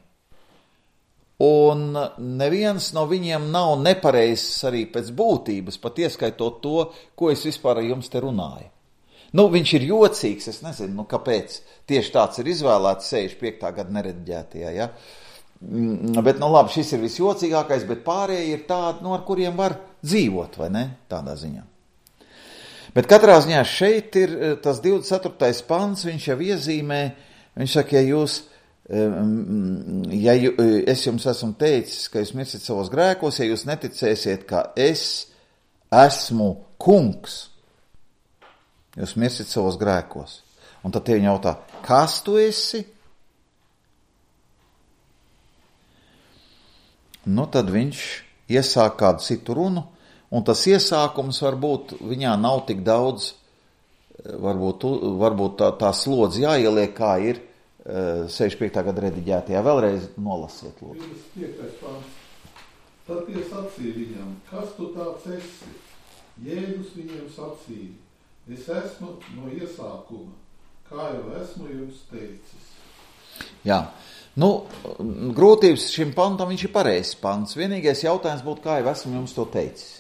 un neviens no viņiem nav nepareizs arī pēc būtības, pat ieskaitot to, ko es vispār ar jums te runāju. Nu, viņš ir jocīgs, es nezinu, nu, kāpēc tieši tāds ir izvēlēts sešdesmit piektā gada nerediģētajā, ja? Bet, nu, labi, šis ir visjocīgākais, bet pārējie ir tādi, nu, ar kuriem var dzīvot, vai ne, tādā ziņā. Bet katrā ziņā šeit ir tas divdesmit ceturtais pants, viņš jau iezīmē, viņš saka, ja jūs, ja es jums esmu teicis, ka jūs mirsiet savos grēkos, ja jūs neticēsiet, ka es esmu kungs, jūs mirsiet savos grēkos. Un tad tie viņi jautā, kas tu esi? Nu, tad viņš iesāk kādu citu runu, un tas iesākums varbūt viņā nav tik daudz, varbūt, varbūt tā, tā slodze jāieliek, kā ir sešdesmit piektā gada rediģētajā. Vēlreiz nolasiet, lūdzu. divdesmit piektais pants. Tad tie sacīja viņam, kas tu tāds esi? Jēzus viņiem sacīja, es esmu no iesākuma, kā jau esmu jums teicis. Jā, nu, grūtības šim pantam viņš ir pareizs pants. Vienīgais jautājums būtu, kā jau esmu jums to teicis.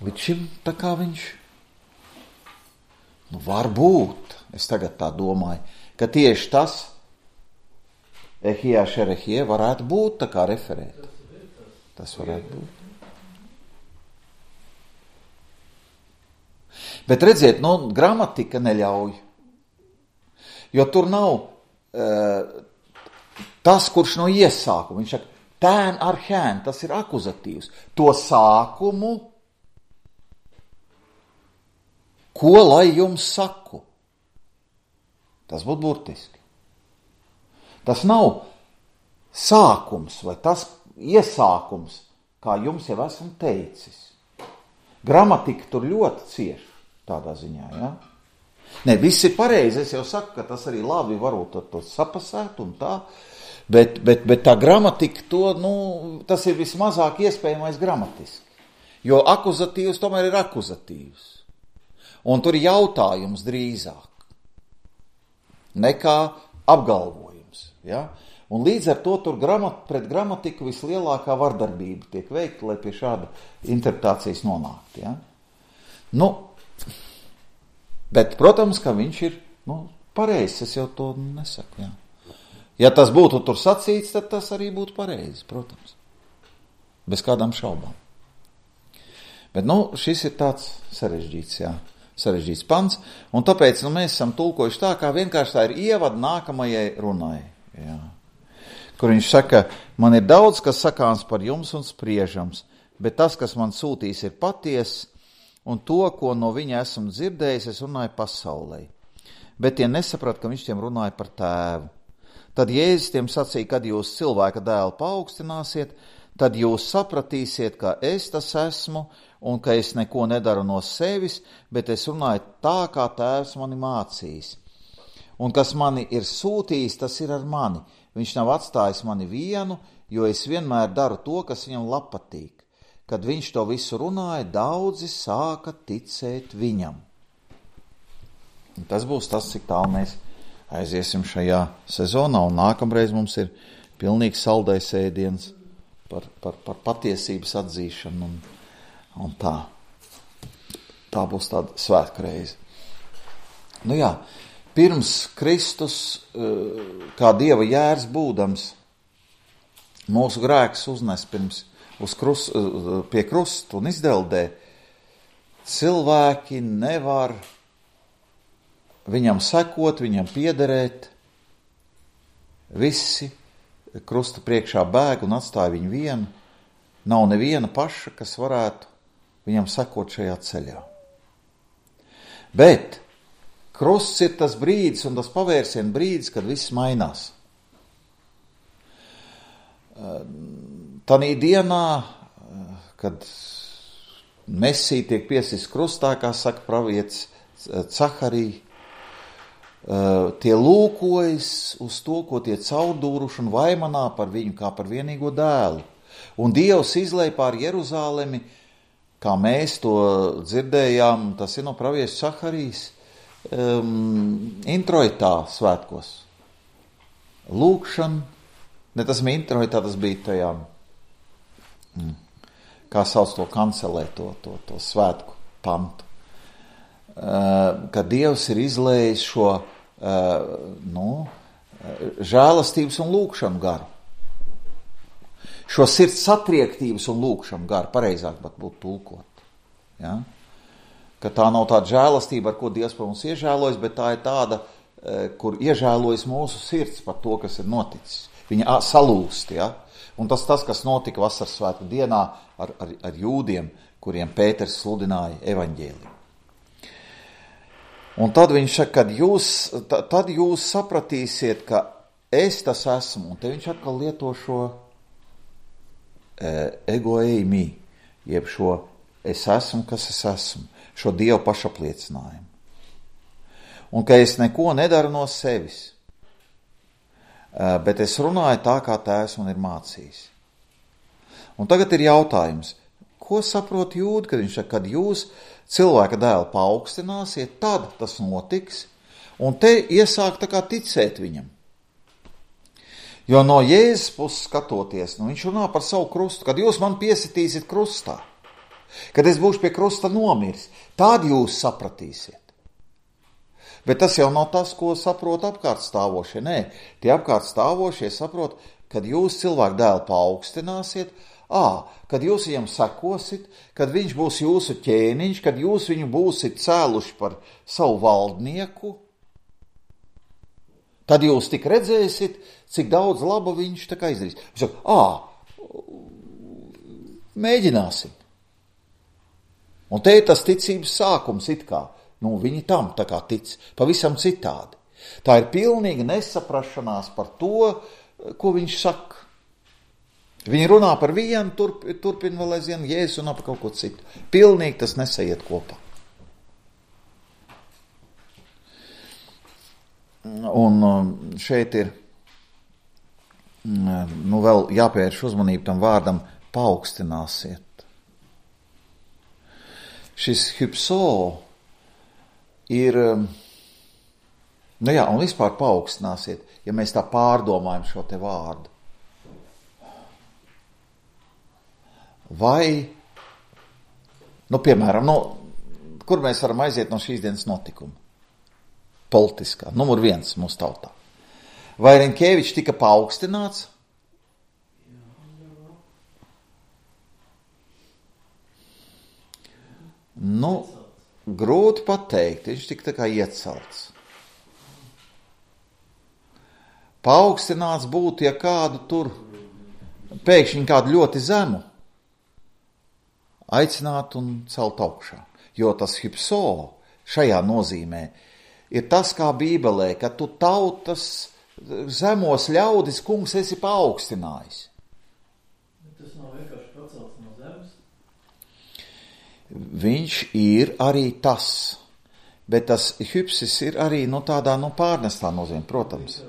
Līdz šim tā kā viņš, nu, varbūt, es tagad tā domāju, ka tieši tas ehijā šerehie varētu būt tā kā referēt. Tas varētu būt. Bet redziet, nu, gramatika neļauj. Jo tur nav uh, tas, kurš no iesākuma. Viņš saka, tēn ar hēn, tas ir akuzatīvs. To sākumu, ko lai jums saku? Tas būtu burtiski. Tas nav sākums vai tas iesākums, kā jums jau esmu teicis. Gramatika tur ļoti cieši tādā ziņā, ja? Ne, viss ir pareizi, es jau saku, ka tas arī labi varbūt to sapasēt un tā, bet, bet, bet tā gramatika to, nu, tas ir vismazāk iespējamais gramatiski. Jo akuzatīvs tomēr ir akuzatīvs. Un tur ir jautājums drīzāk nekā apgalvojums, ja? Un līdz ar to tur gramat, pret gramatiku vislielākā vardarbība tiek veikta, lai pie šāda interpretācijas nonākt, ja? Nu, bet, protams, ka viņš ir, nu, pareizs, es jau to nesaku, jā. Ja tas būtu tur sacīts, tad tas arī būtu pareizi, protams. Bez kādām šaubām. Bet, nu, šis ir tāds sarežģīts, jā, sarežģīts pants, un tāpēc, nu, mēs esam tulkojuši tā, kā vienkārši tā ir ievada nākamajai runai, jā. Kur viņš saka, man ir daudz, kas sakāms par jums un spriežams, bet tas, kas man sūtīs, ir patiess, un to, ko no viņa esmu dzirdējis, es runāju pasaulē. Bet tie nesaprat, ka viņš tiem runāja par tēvu. Tad Jēzus tiem sacīja, kad jūs cilvēka dēlu paaugstināsiet, tad jūs sapratīsiet, ka es tas esmu, un ka es neko nedaru no sevis, bet es runāju tā, kā tēvs mani mācījis. Un kas mani ir sūtījis, tas ir ar mani. Viņš nav atstājis mani vienu, jo es vienmēr daru to, kas viņam patīk. Kad viņš to visu runāja, daudzi sāka ticēt viņam. Un tas būs tas, cik tālu mēs aiziesim šajā sezonā, un nākamreiz mums ir pilnīgs saldais ēdiens par, par, par patiesības atzīšanu, un, un tā. Tā būs tāda svētreize. Nu jā, pirms Kristus, kā Dieva jērs būdams, mūsu grēks uznes pirms uz krust, pie krusta un izdeldē, cilvēki nevar viņam sekot, viņam piederēt. Visi krusta priekšā bēg un atstāja viņu vienu. Nav neviena paša, kas varētu viņam sekot šajā ceļā. Bet krusts ir tas brīdis un tas pavērsiena brīdis, kad viss mainās. Tanī dienā, kad Mesija tiek piesist krustā, kā saka pravietis Caharija, tie lūkojas uz to, ko tie caurdūruši un vaimanā par viņu kā par vienīgo dēlu. Un Dievs izlej pār Jeruzālemi, kā mēs to dzirdējām, tas ir no pravieša Caharijas, um, introitā svētkos. Lūkšana, ne tas bija introitā, tas bija tajā, mm, kā sauc to kancelē, to, to, to svētku pantu. Uh, kad Dievs ir izlējis šo uh, nu, žēlastības un lūkšanu garu. Šo sirds satriektības un lūkšanu garu, pareizāk pat būtu tulkot. Ja? Ka tā nav tāda žēlastība, ar ko Dievs par mums iežēlojas, bet tā ir tāda, uh, kur iežēlojas mūsu sirds par to, kas ir noticis. Viņa salūst, ja? Un tas, tas, kas notika vasaras svētku dienā ar, ar, ar jūdiem, kuriem Pēters sludināja evaņģēliju. Un tad viņš saka, kad jūs, tad jūs sapratīsiet, ka es tas esmu, un te viņš atkal lieto šo e, ego eimi, jeb šo es esmu, kas es esmu, šo Dievu pašapliecinājumu. Un ka es neko nedaru no sevis, e, bet es runāju tā, kā Tēvs man ir mācījis. Un tagad ir jautājums, ko saprot jūdi, kad viņš saka, kad jūs cilvēka dēlu paaugstināsiet, tad tas notiks, un te iesāk tā kā ticēt viņam. Jo no Jēzus puses skatoties, nu viņš runā par savu krustu, kad jūs man piesitīsiet krustā, kad es būšu pie krusta nomiris, tad jūs sapratīsiet. Bet tas jau nav tas, ko saprot apkārt stāvošie. Nē, tie apkārt stāvošie saprot, kad jūs cilvēku dēlu paaugstināsiet, Ā, kad jūs viņam sekosit, kad viņš būs jūsu ķēniņš, kad jūs viņu būsit cēluši par savu valdnieku, tad jūs tik redzēsit, cik daudz laba viņš tā kā izdarīs. Viņš saka, ā, mēģināsim. Un te ir tas ticības sākums it kā. Nu, viņi tam tā kā tic, pavisam citādi. Tā ir pilnīga nesaprašanās par to, ko viņš saka. Viņi runā par vienu, turp, turpina vēl aizvien, Jēzus runā par kaut ko citu. Pilnīgi tas nesaiet kopā. Un šeit ir, nu vēl jāpievērš uzmanību tam vārdam paaugstināsiet. Šis hypso ir, nu jā, un vispār paaugstināsiet, ja mēs tā pārdomājam šo te vārdu. Vai, nu, piemēram, nu, kur mēs varam aiziet no šīs dienas notikuma? Politiskā, numur viens mūsu tautā. Vai Rinkēvičs tika paaugstināts? Nu, grūti pateikt, viņš tika tā kā iecelts. Paaugstināts būtu, ja kādu tur, pēkšņi kādu ļoti zemu, aicināt un celt augšā. Jo tas hypso šajā nozīmē ir tas, kā Bībelē, ka tu tautas zemos ļaudis, kungs, esi paaugstinājis. Tas nav vienkārši pacelts no zemes? Viņš ir arī tas, bet tas hypsis ir arī nu, tādā nu, pārnestā nozīmē, protams.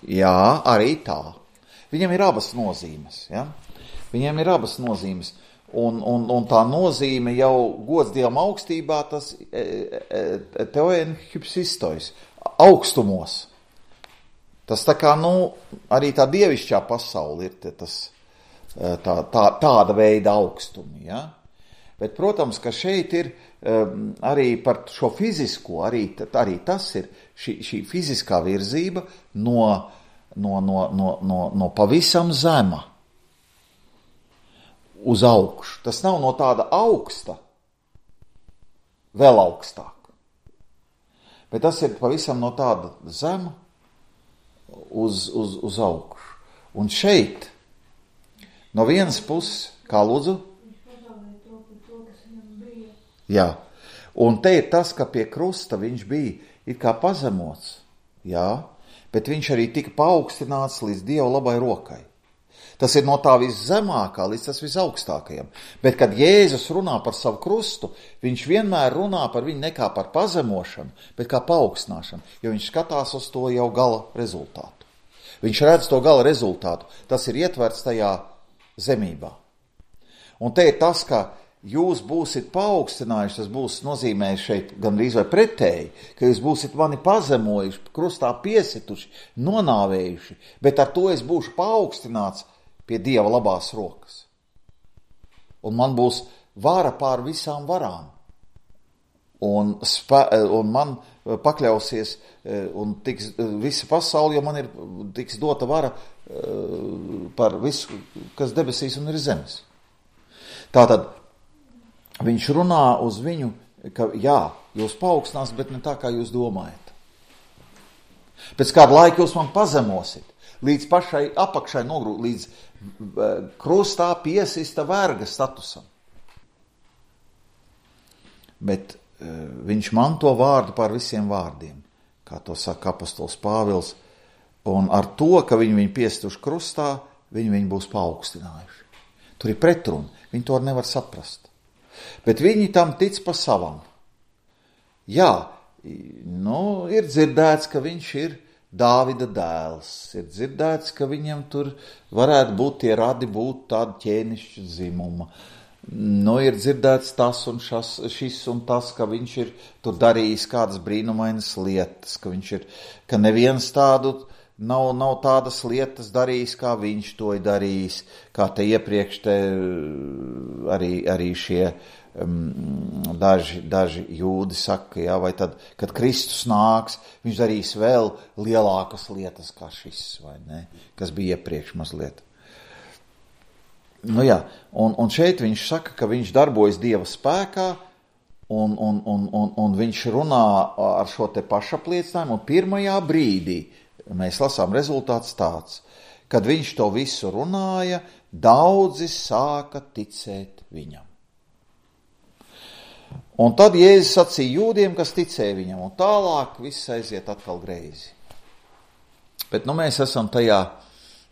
Jā, arī tā. Viņam ir abas nozīmes, ja? Viņiem ir abas nozīmes, un, un, un tā nozīme jau gods Dievam augstībā, tas e, e, teoen hypsistois, augstumos. Tas tā kā, nu, arī tā dievišķā pasaule ir tas, tā, tā, tāda veida augstumi, ja? Bet, protams, ka šeit ir um, arī par šo fizisko, arī, arī tas ir šī, šī fiziskā virzība no, no, no, no, no, no pavisam zema. uz augšu. Tas nav no tāda augsta, vēl augstāk. Bet tas ir pavisam no tāda zema uz, uz, uz augšu. Un šeit, no vienas puses, kā lūdzu? Jā. Un te ir tas, ka pie krusta viņš bija it kā pazemots, jā, bet viņš arī tika paaugstināts līdz Dieva labai rokai. Tas ir no tā viszemākā līdz tas visaugstākajam. Bet, kad Jēzus runā par savu krustu, viņš vienmēr runā par viņu nekā par pazemošanu, bet kā paaugstināšanu, jo viņš skatās uz to jau gala rezultātu. Viņš redz to gala rezultātu. Tas ir ietverts tajā zemībā. Un te ir tas, ka jūs būsit paaugstinājuši, tas būs nozīmē šeit gandrīz vai pretēji, ka jūs būsit mani pazemojuši, krustā piesituši, nonāvējuši, bet ar to es būšu paaugstināts pie Dieva labās rokas. Un man būs vara pār visām varām. Un, spē, un man pakļausies un tiks visa pasaule, jo man ir tiks dota vara par visu, kas debesīs un ir zemes. Tātad viņš runā uz viņu, ka jā, jūs paaugstinās, bet ne tā, kā jūs domājat. Pēc kāda laika jūs man pazemosit, līdz pašai apakšai nogrūt, līdz krustā piesista verga statusam. Bet viņš manto vārdu pār visiem vārdiem, kā to saka apostols Pāvils, un ar to, ka viņi viņu piestuši krustā, viņi viņu būs paaugstinājuši. Tur ir pretruna, viņi to nevar saprast. Bet viņi tam tic pa savam. Jā, nu, ir dzirdēts, ka viņš ir Dāvida dēls. Ir dzirdēts, ka viņam tur varētu būt tie radi būt tāda ķēnišķa dzimuma. Nu, ir dzirdēts tas un šas, šis un tas, ka viņš ir tur darījis kādas brīnumainas lietas, ka viņš ir, ka neviens tādu nav, nav tādas lietas darījis, kā viņš to ir darījis, kā te iepriekš te arī, arī šie um, daži, daži jūdi saka, jā, vai tad, kad Kristus nāks, viņš darīs vēl lielākas lietas kā šis, vai ne, kas bija iepriekš mazliet. Nu jā, un, un šeit viņš saka, ka viņš darbojas Dieva spēkā, un, un, un, un, un viņš runā ar šo te pašapliecinājumu, un pirmajā brīdī mēs lasām rezultāts tāds, kad viņš to visu runāja, daudzi sāka ticēt viņam. Un tad Jēzus sacīja jūdiem, kas ticēja viņam, un tālāk viss aiziet atkal greizi. Bet nu mēs esam tajā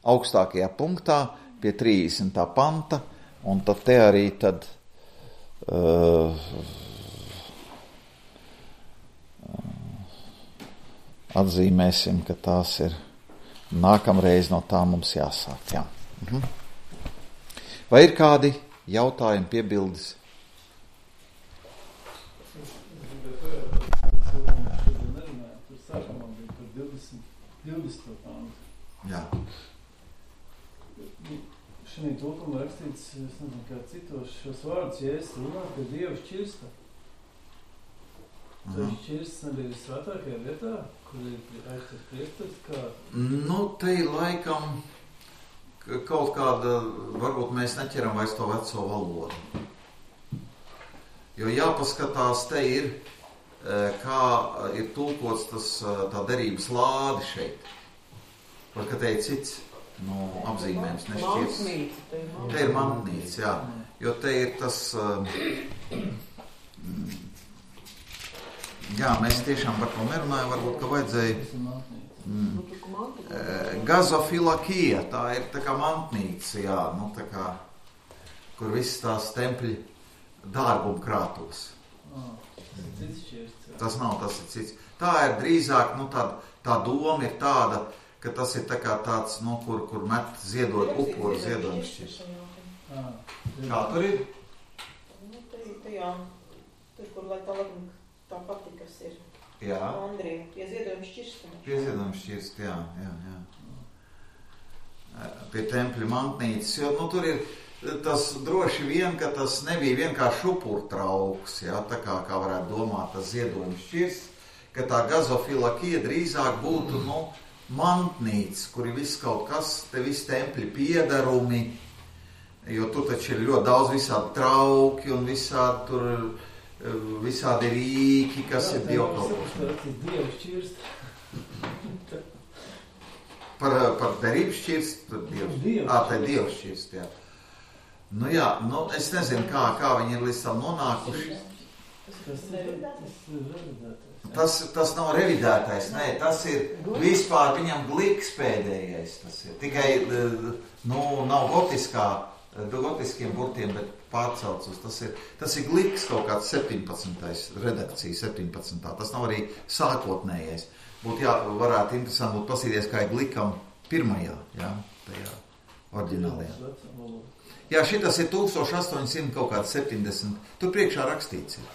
augstākajā punktā, pie trīsdesmitā panta, un tad te arī tad uh, atzīmēsim, ka tās ir nākamreiz no tā mums jāsāk. Jā. Mhm. Vai ir kādi jautājumi, piebildes? Jā. Šī tulkumā rakstīts, es nezinu, kā citos šos vārdus, ja es runā, ka Dievu šķirsta. Tas mm. šķirsts nebija svētākajā vietā, kur ir aizstas priestars, kā... Nu, te ir laikam kaut kāda, varbūt mēs neķeram vairs to veco valodu. Jo jāpaskatās, te ir, kā ir tulkots tas, tā derības lāde šeit. Var, ka te ir cits. Nu, apzīmējums nešķirs. Te ir mantnīca, jā. Jo te ir tas... Jā, mēs tiešām par to nerunājam, varbūt, ka vajadzēja... Mm, Gazofilakija, tā ir tā kā mantnīca, jā, nu tā kā, kur viss tās tempļi dārgumu krātos. Tas nav, tas ir cits. Tā ir drīzāk, nu tā, tā doma ir tāda, ka tas ir tā kā tāds, nu, kur, kur met ziedot upuru ziedojumu šķirstu. Kā tur ir? Nu, te jā, tur, kur lai tā labam tā pati, kas ir. Jā. Andrija, pie ziedojumu šķirstu. Pie ziedojumu šķirstu, jā, jā, jā. Pie tempļa mantnīcas, jo, nu, tur ir tas droši vien, ka tas nebija vienkārši upurtrauks, jā, tā kā, kā varētu domāt tas ziedojumu šķirsts, ka tā gazofilakija drīzāk būtu, nu, mantnīca, kur ir viss kaut kas, te viss tempļi piedarumi, Jo tur taču ir ļoti daudz visādi trauki un visādi tur, visādi rīki, kas jā, ir dievkalpošana. Dievu šķirst. Par, par derību šķirst? Dievs. Ā, tā ir Dievu šķirst, jā. Nu jā, nu es nezinu, kā, kā viņi ir līdz tam nonākuši. Tas ir revidētais. Tas, tas nav revidētais, nē, tas ir vispār viņam gliks pēdējais. Tas ir tikai, nu, nav gotiskā, gotiskiem burtiem, bet pārcelts uz. Tas ir, tas ir gliks kaut kāds septiņpadsmitais redakcija, septiņpadsmitā. Tas nav arī sākotnējais. Būtu jā, varētu interesanti būt pasīties, kā ir glikam pirmajā, jā, tajā oriģinālajā. Jā, šitas ir tūkstoš astoņsimt kaut kāds septiņdesmit. Tur priekšā rakstīts ir.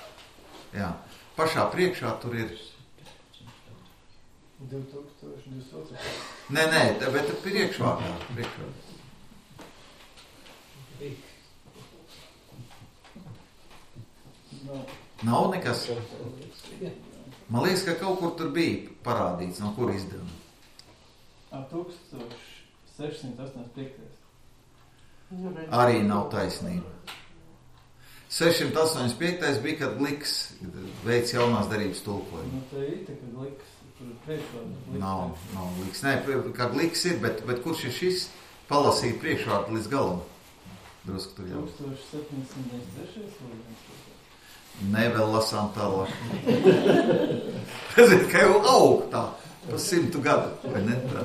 Jā. Pašā priekšā tur ir. divi tūkstoši divdesmit. Nē, nē, bet priekšvārdā. Priekšvārdā. Nav. Nav nekas. Man liekas, ka kaut kur tur bija parādīts, no kur izdevuma. tūkstoš sešsimt astoņdesmit piektais. Arī nav taisnība. sešsimt astoņdesmit piektais bija, kad Gliks veids jaunās darības tulkojumu. Nu, tā ir tā, kad Gliks, tur priekšvārdu. Nav, nav Gliks. Nē, kā Gliks ir, bet, bet kurš ir šis? Palasīt priekšvārdu līdz galam. Drusku tur jau. tūkstoš septiņsimt deviņdesmit trešais. Nē, vēl lasām tālāk. Ziniet, ka jau aug tā, pa simtu gadu, vai ne tā?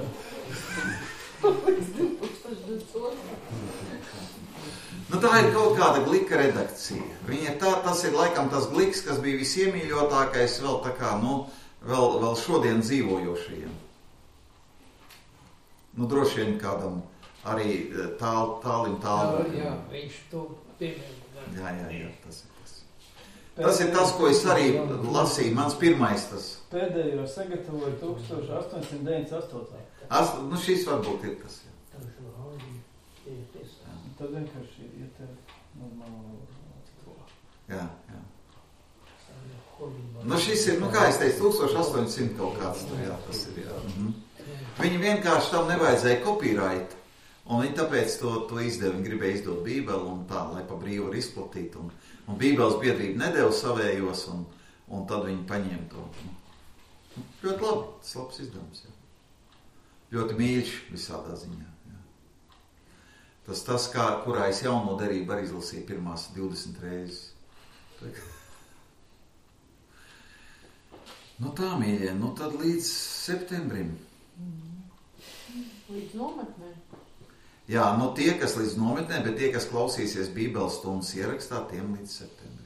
Nu, tā ir kaut kāda Glika redakcija. Viņa tā, tas ir laikam tas Gliks, kas bija visiemīļotākais vēl tā kā, nu, vēl, vēl šodien dzīvojošajiem. Nu, droši vien kādam arī tāl, tālim tālu. Jā, jā, viņš to piemēra. Jā, jā, jā, tas ir tas. Tas ir tas, ko es arī lasīju, mans pirmais tas. Pēdējo sagatavoju tūkstoš astoņsimt deviņdesmit astotais. As, nu, šis varbūt ir tas, jā. Tad vienkārši ir te normāli valoda. Jā, jā. Nu, šis ir, nu, kā es teicu, tūkstoš astoņsimt kaut kāds tur, jā, tas ir, jā. Mhm. Viņi vienkārši tam nevajadzēja copyright, un viņi tāpēc to, to izdeva, viņi gribēja izdot Bībeli un tā, lai pa brīvu var izplatīt, un, un Bībeles biedrība nedeva savējos, un, un tad viņi paņēma to. Nu, ļoti labi, tas labs izdevums, jā. Ļoti mīļš visādā ziņā. Tas tas, kā, kurā es jauno derību arī izlasīju pirmās divdesmit reizes. Nu tā, mīļie, nu tad līdz septembrim. Līdz nometnē. Jā, nu tie, kas līdz nometnē, bet tie, kas klausīsies Bībeles stundas ierakstā, tiem līdz septembrim.